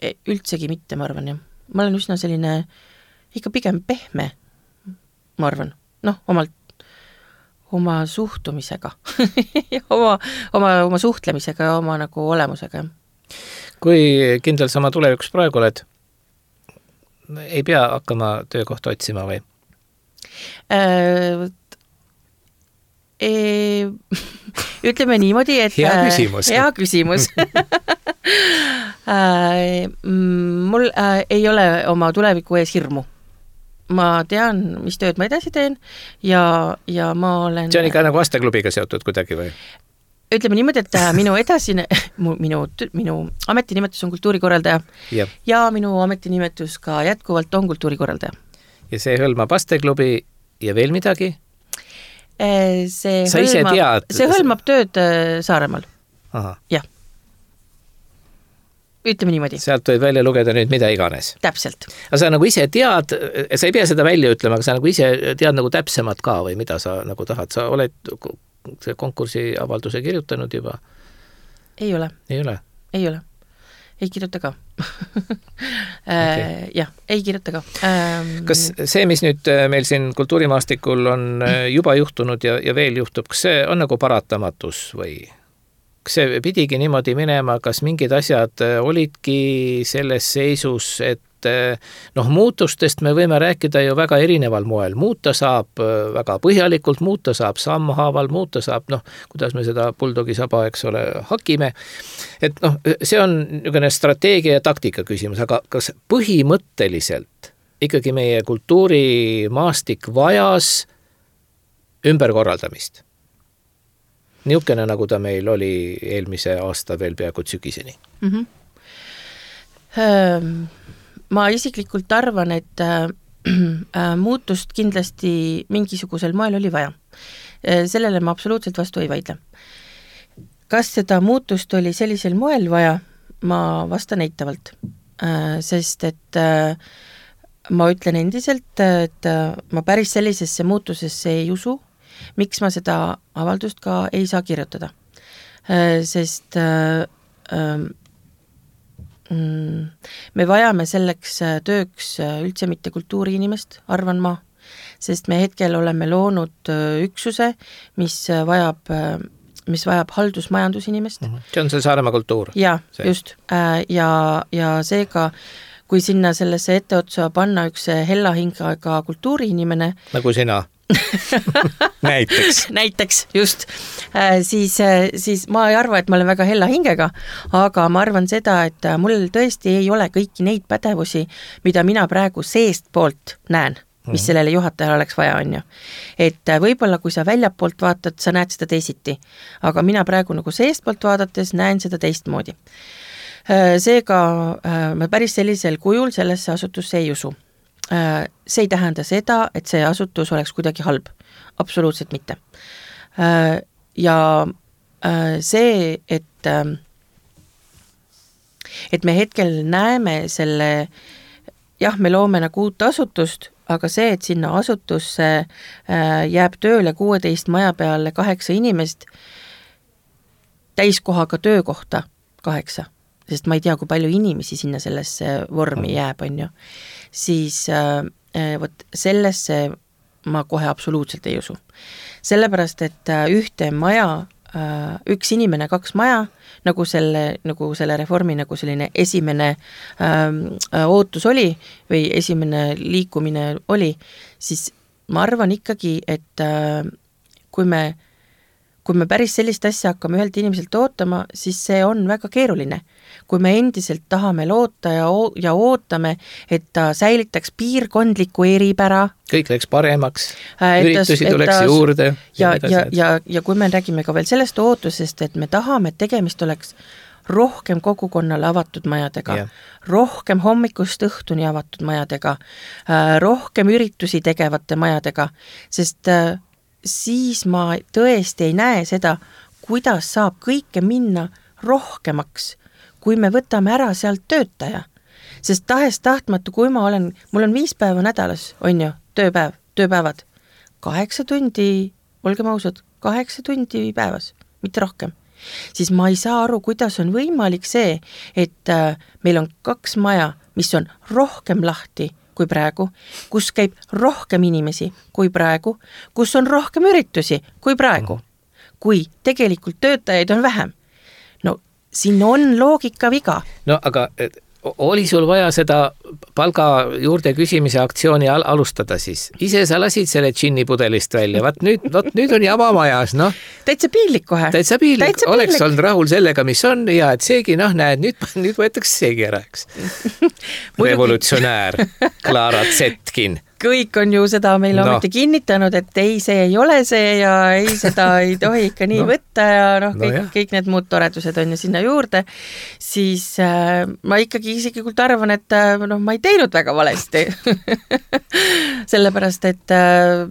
üldsegi mitte, ma arvan, jah. Ma olen üsna selline ikka pigem pehme, ma arvan, noh, omalt oma suhtumisega oma, oma, oma suhtlemisega ja oma nagu olemusega. Kui kindel sama tulevikus praegu oled? Ei pea hakkama töökohta otsima või? Äh, e, ütleme niimoodi, et hea küsimus. Hea küsimus. äh, mul äh, ei ole oma tuleviku ees hirmu. Ma tean, mis tööd ma edasi teen ja, ja ma olen... See on ikka nagu Asteklubiga seotud kuidagi või? Ütleme niimoodi, et minu edasine, minu, minu ametinimetus on kultuurikorraldaja ja. ja minu ametinimetus ka jätkuvalt on kultuurikorraldaja. Ja see hõlmab Asteklubi ja veel midagi? See Sa hõlmab, tead... see hõlmab tööd Saaremaal. Aha. Jah. Ütleme niimoodi. Sealt võid välja lugeda nüüd mida iganes. Täpselt. Aga sa nagu ise tead, sa ei pea seda välja ütlema, aga sa nagu ise tead nagu täpsemad ka või mida sa nagu tahad. Sa oled... see konkursi avalduse kirjutanud juba? Ei ole. Ei ole? Ei ole. Ei kirjuta ka. Okay. jah, ei kirjuta ka. Kas see, mis nüüd meil siin kultuurimaastikul on juba juhtunud ja, ja veel juhtub, kas see on nagu paratamatus või kas see pidigi niimoodi minema, kas mingid asjad olidki selles seisus, et noh, muutustest me võime rääkida ju väga erineval moel. Muuta saab väga põhjalikult, muuta saab sammhaaval, muuta saab, noh, kuidas me seda buldogi saba, eks ole, hakime. Et noh, see on niisugune strateegia ja taktika küsimus, aga kas põhimõtteliselt ikkagi meie kultuurimaastik vajas ümberkorraldamist? Niisugune, nagu ta meil oli eelmise aasta veel peaaegu sügiseni. Mhm. Ähm... Ma isiklikult arvan, et äh, muutust kindlasti mingisugusel moel oli vaja. Sellele ma absoluutselt vastu ei vaidle. Kas seda muutust oli sellisel moel vaja? Ma vastan eitavalt. Äh, sest et äh, ma ütlen endiselt, et äh, ma päris sellisesse muutusesse ei usu, miks ma seda avaldust ka ei saa kirjutada. Äh, sest äh, äh, me vajame selleks tööks üldse mitte kultuuriinimest, arvan ma, sest me hetkel oleme loonud üksuse, mis vajab, mis vajab haldusmajandusinimest. See on see Saaremaa kultuur. Ja, see. Just. Ja, ja seega, kui sinna sellesse etteotsa panna üks hella hingaga kultuuriinimene, nagu sina. näiteks. näiteks, just. Siis, siis ma ei arva, et ma olen väga hella hingega, aga ma arvan seda, et mul tõesti ei ole kõiki neid pädevusi, mida mina praegu seest poolt näen, mis mm. sellele juhatajale oleks vaja, on ju. Et võib-olla, kui sa väljapoolt vaatad, sa näed seda teisiti, aga mina praegu nagu seest poolt vaadates näen seda teistmoodi. Seega ma päris sellisel kujul sellesse asutusse ei usu. See ei tähenda seda, et see asutus oleks kuidagi halb. Absoluutselt mitte. Ja see, et et me hetkel näeme selle, jah, me loome nagu uut asutust, aga see, et sinna asutusse jääb tööle kuueteist maja peale kaheksa inimest, täiskohaga töökohta kaheksa, sest ma ei tea, kui palju inimesi sinna sellesse vormi jääb, on ju, siis äh, võt, sellesse ma kohe absoluutselt ei usu. Sellepärast, et ühte maja, äh, üks inimene, kaks maja, nagu selle, nagu selle reformi nagu selline esimene äh, ootus oli või esimene liikumine oli, siis ma arvan ikkagi, et äh, kui me kui me päris sellist asja hakkame ühelt inimeselt ootama, siis see on väga keeruline. Kui me endiselt tahame loota ja, o- ja ootame, et ta säilitaks piirkondliku eripära. Kõik läks paremaks, üritusi tuleks ta, juurde. Ja, ja, ja, ja, ja kui me räägime ka veel sellest ootusest, et me tahame, et tegemist oleks rohkem kogukonnale avatud majadega, yeah. rohkem hommikust õhtuni avatud majadega, rohkem üritusi tegevate majadega, sest siis ma tõesti ei näe seda, kuidas saab kõike minna rohkemaks, kui me võtame ära sealt töötaja. Sest tahes tahtmatu, kui ma olen, mul on viis päeva nädalas, on ju, tööpäev, tööpäevad, kaheksa tundi, olgem ausad, kaheksa tundi päevas, mitte rohkem. Siis ma ei saa aru, kuidas on võimalik see, et äh, meil on kaks maja, mis on rohkem lahti, kui praegu, kus käib rohkem inimesi kui praegu, kus on rohkem üritusi kui praegu, kui tegelikult töötajaid on vähem. No siin on loogika viga. No aga oli sul vaja seda palga juurde küsimise aktsiooni al- alustada siis? Ise sa lasid selle džinni pudelist välja, vaat nüüd, vaat nüüd on jama majas, noh. Täitsa piinlik kohe. Täitsa piinlik, Täitsa piinlik. Oleks olnud rahul sellega, mis on ja et seegi, noh, näed, nüüd, nüüd võetakse seegi ära, eks. Revolutsionäär Clara Zetkin. Kõik on ju seda meile no. ometi kinnitanud, et ei, see ei ole see ja ei, seda ei tohi ikka nii no. võtta ja noh, kõik, no kõik need muud toredused on ju sinna juurde, siis äh, ma ikkagi isiklikult arvan, et äh, noh, ma ei teinud väga valesti. Sellepärast, et äh,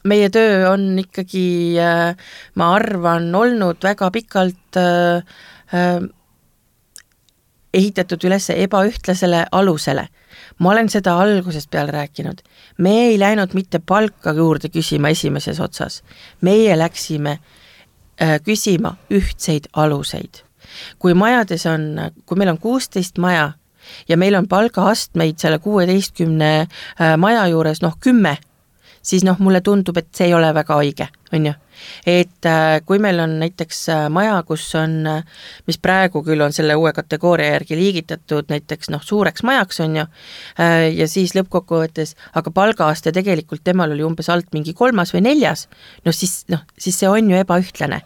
meie töö on ikkagi, äh, ma arvan, olnud väga pikalt äh, äh, ehitatud üles ebaühtlasele alusele. Ma olen seda algusest peal rääkinud. Me ei läinud mitte palka juurde küsima esimeses otsas. Meie läksime äh, küsima ühtseid aluseid. Kui majades on, kui meil on kuusteist maja ja meil on palgaastmeid selle kuueteistkümne äh, maja juures, noh kümme, siis noh, mulle tundub, et see ei ole väga õige, on ju. Et äh, kui meil on näiteks äh, maja, kus on, äh, mis praegu küll on selle uue kategooria järgi liigitatud näiteks noh, suureks majaks, on ju, äh, ja siis lõppkokkuvõttes, aga palgaaste tegelikult temal oli umbes alt mingi kolmas või neljas, no siis, noh, siis see on ju ebaühtlane.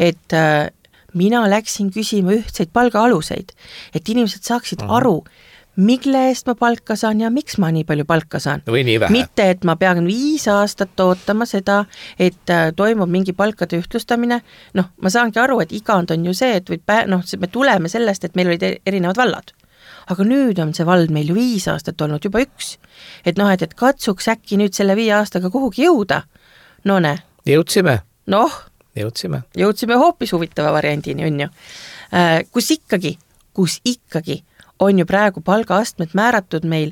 Et äh, mina läksin küsima ühtseid palgaaluseid, et inimesed saaksid Aha. aru, mille eest ma palka saan ja miks ma nii palju palka saan. Või nii vähe. Mitte, et ma pean viis aastat ootama seda, et toimub mingi palkade ühtlustamine. Noh, ma saangi aru, et igand on ju see, et või pä- noh, me tuleme sellest, et meil olid erinevad vallad. Aga nüüd on see vald meil ju viis aastat olnud juba üks. Et noh, et, et katsuks äkki nüüd selle viie aastaga kuhugi jõuda. No ne. Jõudsime. Noh. Jõudsime. Jõudsime hoopis huvitava variandini, on ju. Kus ikkagi, kus ikkagi on ju praegu palgaastmed määratud meil,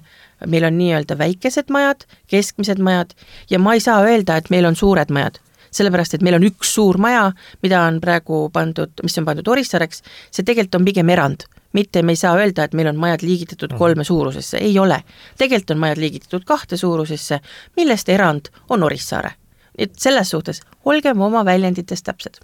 meil on nii-öelda väikesed majad, keskmised majad ja ma ei saa öelda, et meil on suured majad, sellepärast, et meil on üks suur maja, mida on praegu pandud, mis on pandud Orissareks, see tegelikult on pigem erand, mitte me ei saa öelda, et meil on majad liigitatud kolme suurusesse, ei ole. Tegelikult on majad liigitatud kahte suurusesse, millest erand on Orissaare. Et selles suhtes olgem oma väljendites täpsed.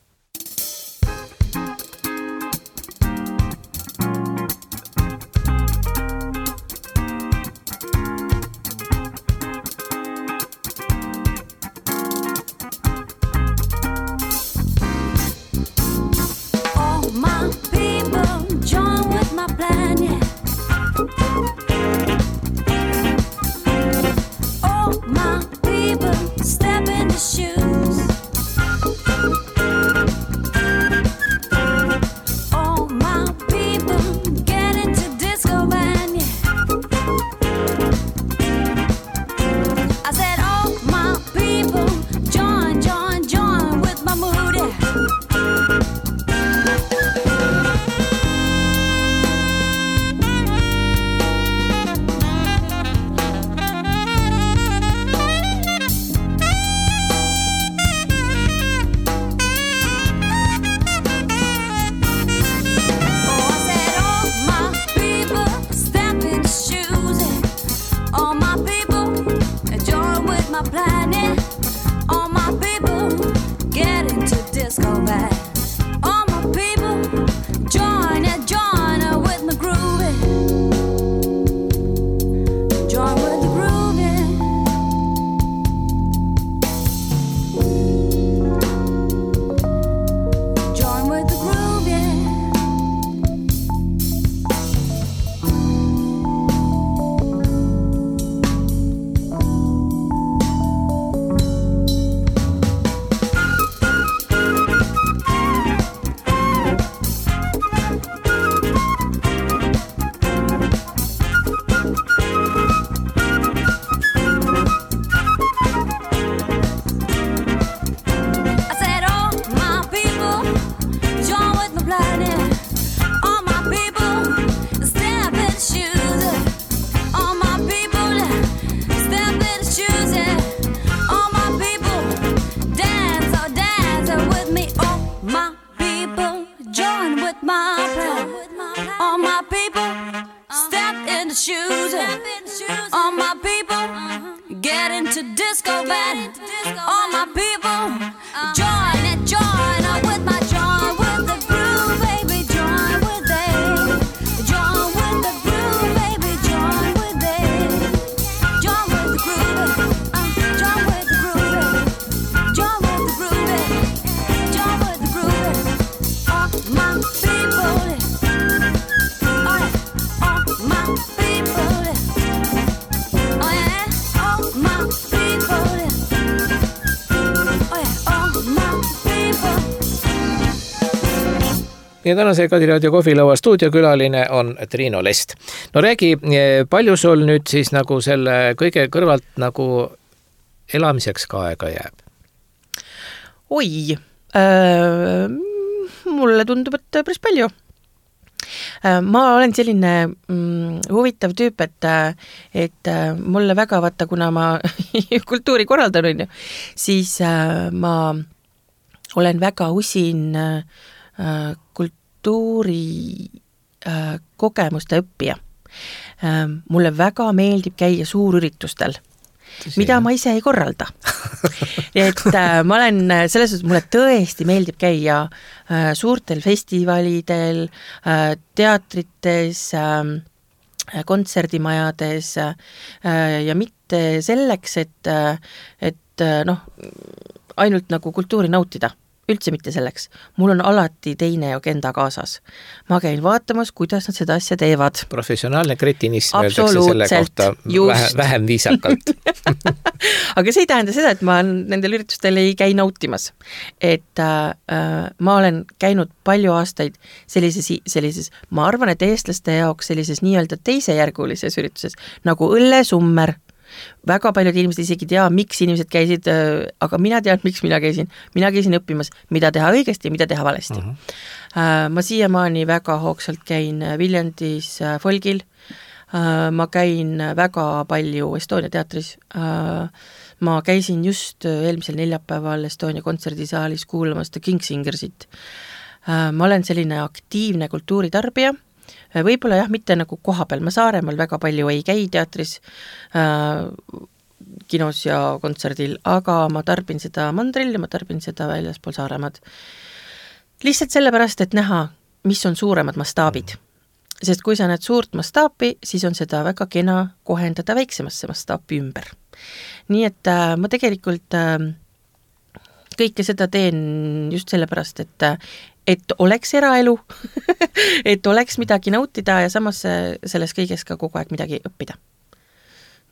disco band. All my people, join it, join up with my join with the groove, baby, join with it. Join with the groove, baby, join with it. Join with the groove, uh, join with the groove, join with the groove, join with the groove. All my people, all, all my people, oh yeah, all my people, oh yeah, all my people. Ja tänase Kadiraadio kohvilõua stuudiokülaline on Triino Lest. No räägi, palju sul nüüd siis nagu selle kõige kõrvalt nagu elamiseks ka aega jääb? Oi, äh, mulle tundub, et päris palju. Äh, ma olen selline mm, huvitav tüüp, et, et mulle väga vaata, kuna ma kultuuri korraldan, on ju, siis äh, ma olen väga usin äh, kultuuri äh, kogemuste õppija. Äh, mulle väga meeldib käia suurüritustel, Tõsi, mida jah. ma ise ei korralda. et äh, ma olen selles suhtes, mulle tõesti meeldib käia äh, suurtel festivalidel, äh, teatrites, äh, kontserdimajades äh, ja mitte selleks, et, et noh, ainult nagu kultuuri nautida. Üldse mitte selleks. Mul on alati teine agenda kaasas. Ma käin vaatamas, kuidas nad seda asja teevad. Professionaalne kretinism öeldakse selle kohta vähe, vähem viisakalt. Aga see ei tähenda seda, et ma nendel üritustel ei käi nautimas. Et äh, ma olen käinud palju aastaid sellises, sellises, ma arvan, et eestlaste jaoks sellises nii-öelda teisejärgulises ürituses, nagu õllesummer. Väga paljud inimesed isegi tea, miks inimesed käisid, aga mina tean, miks mina käisin. Mina käisin õppimas, mida teha õigesti ja mida teha valesti. Uh-huh. Ma siiamaani väga hoogsalt käin Viljandis Folgil. Ma käin väga palju Estonia teatris. Ma käisin just eelmisel neljapäeval Estonia kontserdisaalis kuulamas The Kingsingersit. Ma olen selline aktiivne kultuuritarbija. Võib-olla jah, mitte nagu koha peal, ma Saaremaal väga palju ei käi teatris, äh, kinos ja kontserdil, aga ma tarbin seda mandril ja ma tarbin seda väljaspool Saaremaad. Lihtsalt sellepärast, et näha, mis on suuremad mastaabid. Sest kui sa näed suurt mastaapi, siis on seda väga kena kohendada väiksemasse mastaapi ümber. Nii et äh, ma tegelikult äh, kõike seda teen just sellepärast, et et oleks eraelu, et oleks midagi nautida ja samas selles kõiges ka kogu aeg midagi õppida.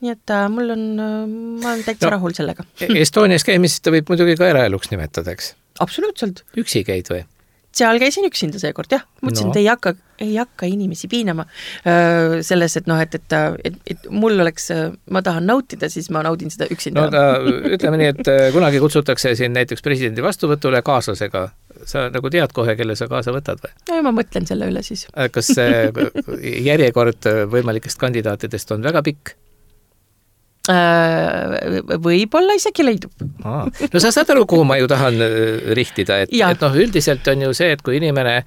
Nii et äh, mul on, ma olen täitsa no, rahul sellega. Estonias käimist võib muidugi ka eraeluks nimetada, eks? Absoluutselt. Üksi käid või? Seal käisin üksinda seekord, jah. Mõtlesin, no. et ei hakka, ei hakka inimesi piinama äh, selles, et noh, et, et, et, et mul oleks, ma tahan nautida, siis ma naudin seda üksinda. No ta, ütleme nii, et kunagi kutsutakse siin näiteks presidendi vastuvõtule kaaslasega. Sa nagu tead kohe, kelle sa kaasa võtad või? No ma mõtlen selle üle siis. Kas järjekord võimalikest kandidaatidest on väga pikk? Võib-olla isegi leidub. Aa, no sa saad aru, kuhu ma ju tahan rihtida, et, et noh, üldiselt on ju see, et kui inimene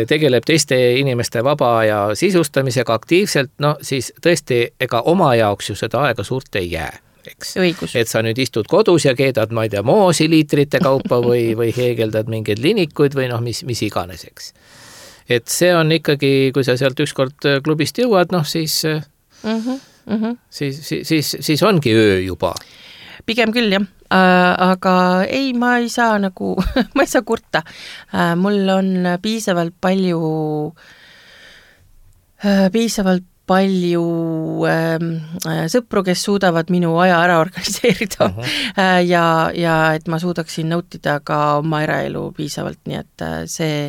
tegeleb teiste inimeste vaba ja sisustamisega aktiivselt, no siis tõesti ega oma jaoks ju seda aega suurt ei jää. Eks? Et sa nüüd istud kodus ja keedad, ma ei tea, moosi liitrite kaupa või, või heegeldad mingeid linikuid või noh, mis, mis iganes, eks. Et see on ikkagi, kui sa sealt ükskord klubist jõuad, noh siis, mm-hmm, mm-hmm. siis, siis, siis, siis ongi öö juba. Pigem küll, jah. Äh, aga ei, ma ei saa nagu, ma ei saa kurta. Äh, mul on piisavalt palju, äh, piisavalt palju äh, sõpru, kes suudavad minu aja ära organiseerida uh-huh. äh, ja, ja et ma suudaksin nautida ka oma eraelu piisavalt, nii et äh, see,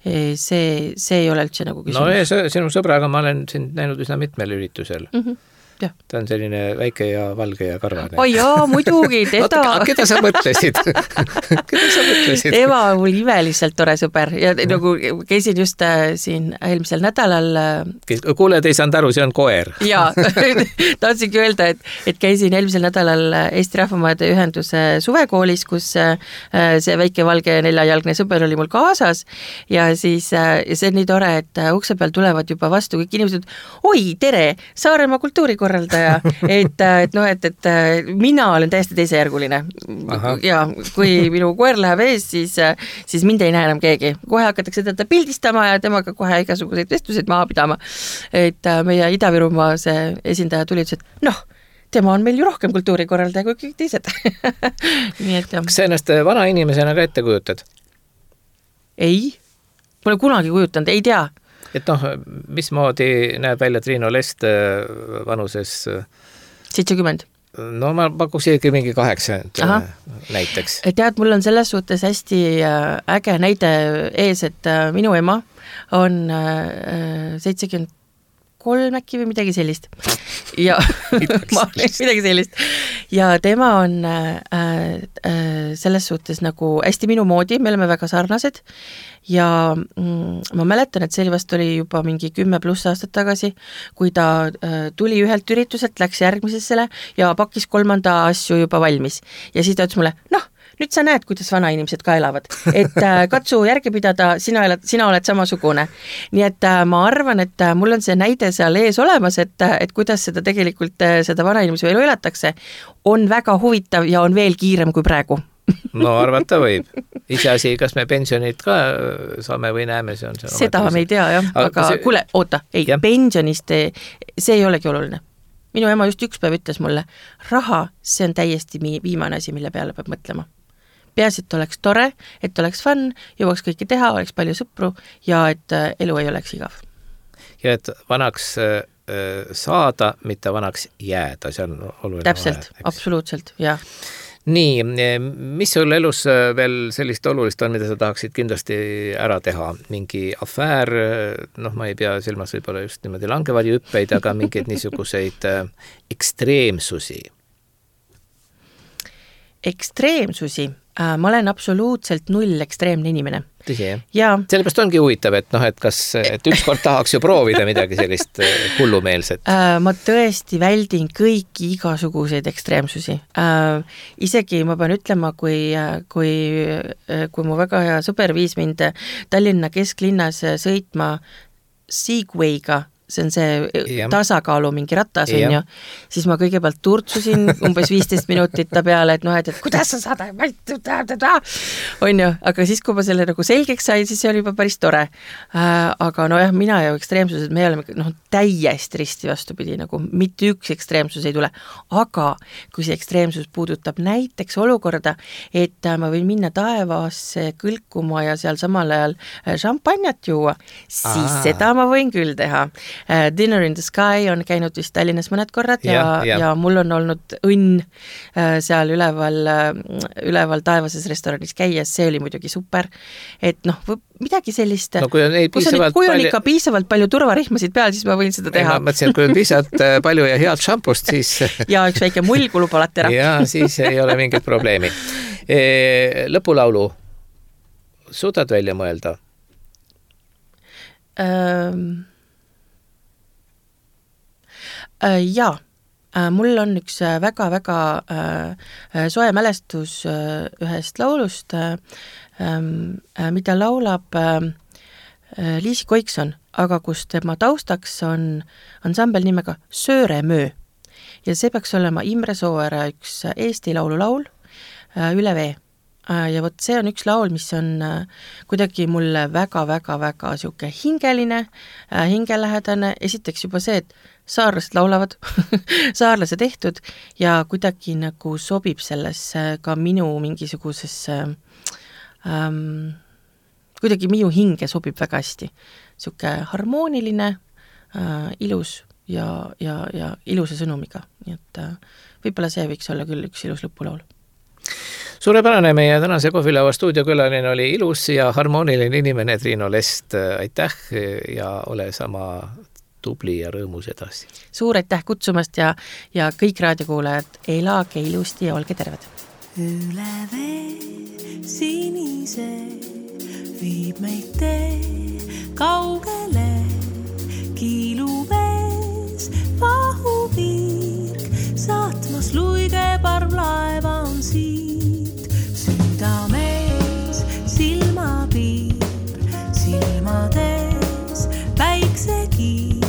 see, see ei ole üldse nagu küsimus. No ja sinu sõbraga ma olen sind näinud üsna mitmel üritusel. Mhm. Ja. Ta on selline väike ja valge ja karvane. Oi jaa, muidugi, teda... Oota, keda sa mõtlesid? Keda sa mõtlesid? Eva on mul imeliselt tore sõber ja mm. nagu käisin just äh, siin eelmisel nädalal... Äh... Kuule, te ei saanud aru, see on koer. Jaa, tahtsingi öelda, et, et käisin eelmisel nädalal Eesti Rahvamaade ühenduse suvekoolis, kus äh, see väike valge neljajalgne sõber oli mul kaasas ja siis äh, see on nii tore, et ukse peal tulevad juba vastu kõik inimesed, oi, tere, Saaremaa kultuurikorraldus kultuurikorraldaja, et, et noh, et, et mina olen täiesti teisejärguline. Aha. Ja kui minu koer läheb ees, siis, siis mind ei näe enam keegi. Kohe hakatakse teda pildistama ja temaga kohe igasuguseid vestluseid maha pidama. Et meie Ida-Virumaa see esindaja tuli, et noh, tema on meil ju rohkem kultuurikorraldaja kui kõik teised. Nii et jah. Kas sa ennast vana inimesena ka ette kujutad? Ei, pole kunagi kujutanud, ei tea. Et noh, mismoodi näeb välja Triinu Lest vanuses? seitsekümmend. No ma pakuks isegi mingi kaheksakümmend Aha. näiteks. Tead, mul on selles suhtes hästi äge näide ees, et minu ema on seitsekümmend kolm äkki või midagi sellist. Ja ma, midagi sellist. Ja tema on äh, äh, selles suhtes nagu hästi minu moodi, me oleme väga sarnased ja mm, ma mäletan, et see oli vast oli juba mingi kümme pluss aastat tagasi, kui ta äh, tuli ühelt ürituselt, läks järgmisessele ja pakkis kolmanda asju juba valmis. Ja siis ta ütles mulle, noh, nüüd sa näed, kuidas vana inimesed ka elavad, et äh, katsu järgi pidada, sina, elad, sina oled samasugune. Nii et äh, ma arvan, et äh, mul on see näide seal ees olemas, et, äh, et kuidas seda tegelikult, äh, seda vana inimese elu elatakse, on väga huvitav ja on veel kiirem kui praegu. No arvata võib. Iseasi, kas me pensionit ka saame või näeme, see on see. Seda me ei tea, jah, aga, aga see... kuule, oota, ei, ja. pensionist, see ei olegi oluline. Minu ema just üks päev ütles mulle, raha, see on täiesti viimane asi, mille peale peab mõtlema. Peas, et oleks tore, et oleks fun, jõuaks kõike teha, oleks palju sõpru ja et elu ei oleks igav. Ja et vanaks saada, mitte vanaks jääda, see on oluline. Täpselt, vahe, absoluutselt, jah. Nii, mis sul elus veel sellist olulist on, mida sa tahaksid kindlasti ära teha? Mingi afäär, noh, ma ei pea silmas võib-olla just niimoodi langevari hüppeid, aga mingeid niisuguseid ekstreemsusi. Ekstreemsusi? Ma olen absoluutselt null ekstreemne inimene. Tõsi, jah? Sellepärast ongi huvitav, et, noh, et kas et ükskord tahaks ju proovida midagi sellist hullumeelset. Ma tõesti väldin kõiki igasuguseid ekstreemsusi. Isegi ma pean ütlema, kui, kui, kui mu väga hea sõber viis mind Tallinna kesklinnas sõitma Segwayga, see on see ja. tasakaalu mingi ratas, on ju, siis ma kõigepealt turtsusin umbes viisteist minutit ta peale, et noh, et, et kuidas sa saad, on ju, aga siis, kui ma selle nagu selgeks sain, siis see oli juba päris tore. Äh, aga no jah, mina ja ekstreemsused, me oleme noh, täiesti risti vastupidi, nagu mitte üks ekstreemsus ei tule, aga kui see ekstreemsus puudutab näiteks olukorda, et ma võin minna taevasse kõlkuma ja seal samal ajal šampanjat juua, siis Aa. seda ma võin küll teha. Dinner in the Sky on käinud vist Tallinnas mõned korrad ja, ja, ja. ja mul on olnud õnn seal üleval, üleval taevases restoranis käies, see oli muidugi super, et noh, midagi sellist, no, kui on, kui on, kui on palju... ikka piisavalt palju turvarihmasid peal, siis ma võin seda teha. Ma mõtlesin, et kui on piisavalt palju ja head šampust, siis... ja üks väike mull kulub alati ära. ja siis ei ole mingit probleemi. Lõpulaulu suudad välja mõelda? Ähm... Jaa, mul on üks väga-väga soe mälestus ühest laulust, mida laulab Liisi Koikson, aga kus tema taustaks on ansambel nimega Sööremöö. Ja see peaks olema Imre Sooäre üks Eesti laululaul Üle vee. Ja võt see on üks laul, mis on kuidagi mulle väga-väga-väga siuke hingeline, hingelähedane. Esiteks juba see, et saarlased laulavad, saarlase tehtud ja kuidagi nagu sobib sellesse ka minu mingisugusesse, ähm, kuidagi minu hinge sobib väga hästi. Siuke harmooniline, äh, ilus ja, ja, ja ilusa sõnumiga. Nii et äh, võib-olla see võiks olla küll üks ilus lõpulaul. Suurepärane, meie tänase Kohvilaua stuudiokülaline oli ilus ja harmooniline inimene Triinu Lest. Aitäh ja ole sama tubli ja rõõmus edasi. Suur aitäh kutsumast ja, ja kõik raadiokuulajad, elage ilusti ja olge terved. Üle vee sinise viib meid tee kaugele, kiilu vees vahuvirk, saatmas luige parvlaeva on siit, südamees silmapiir, silmades päiksekiir,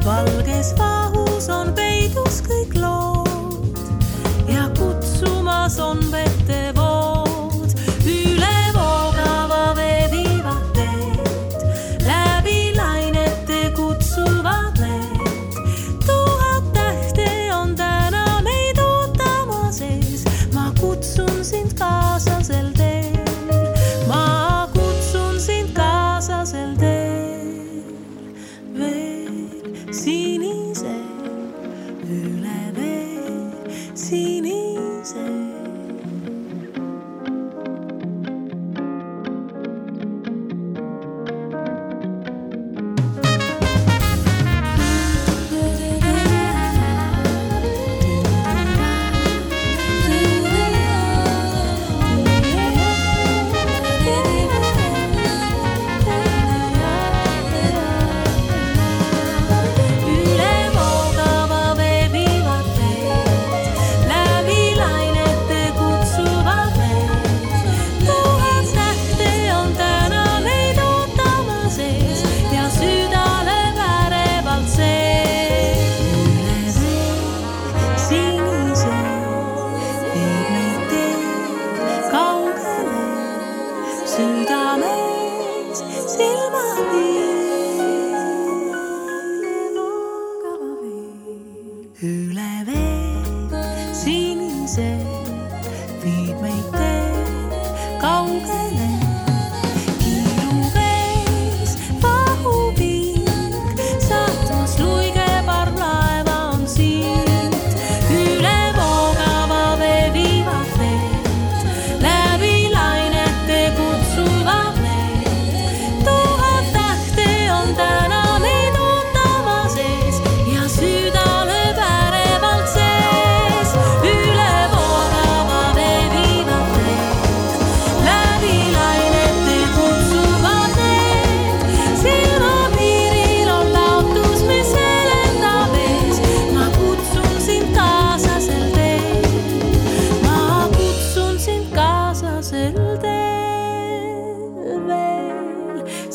valges vahus on peid sinise, üle vee sinise.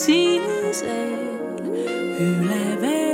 Sinisel üle vee.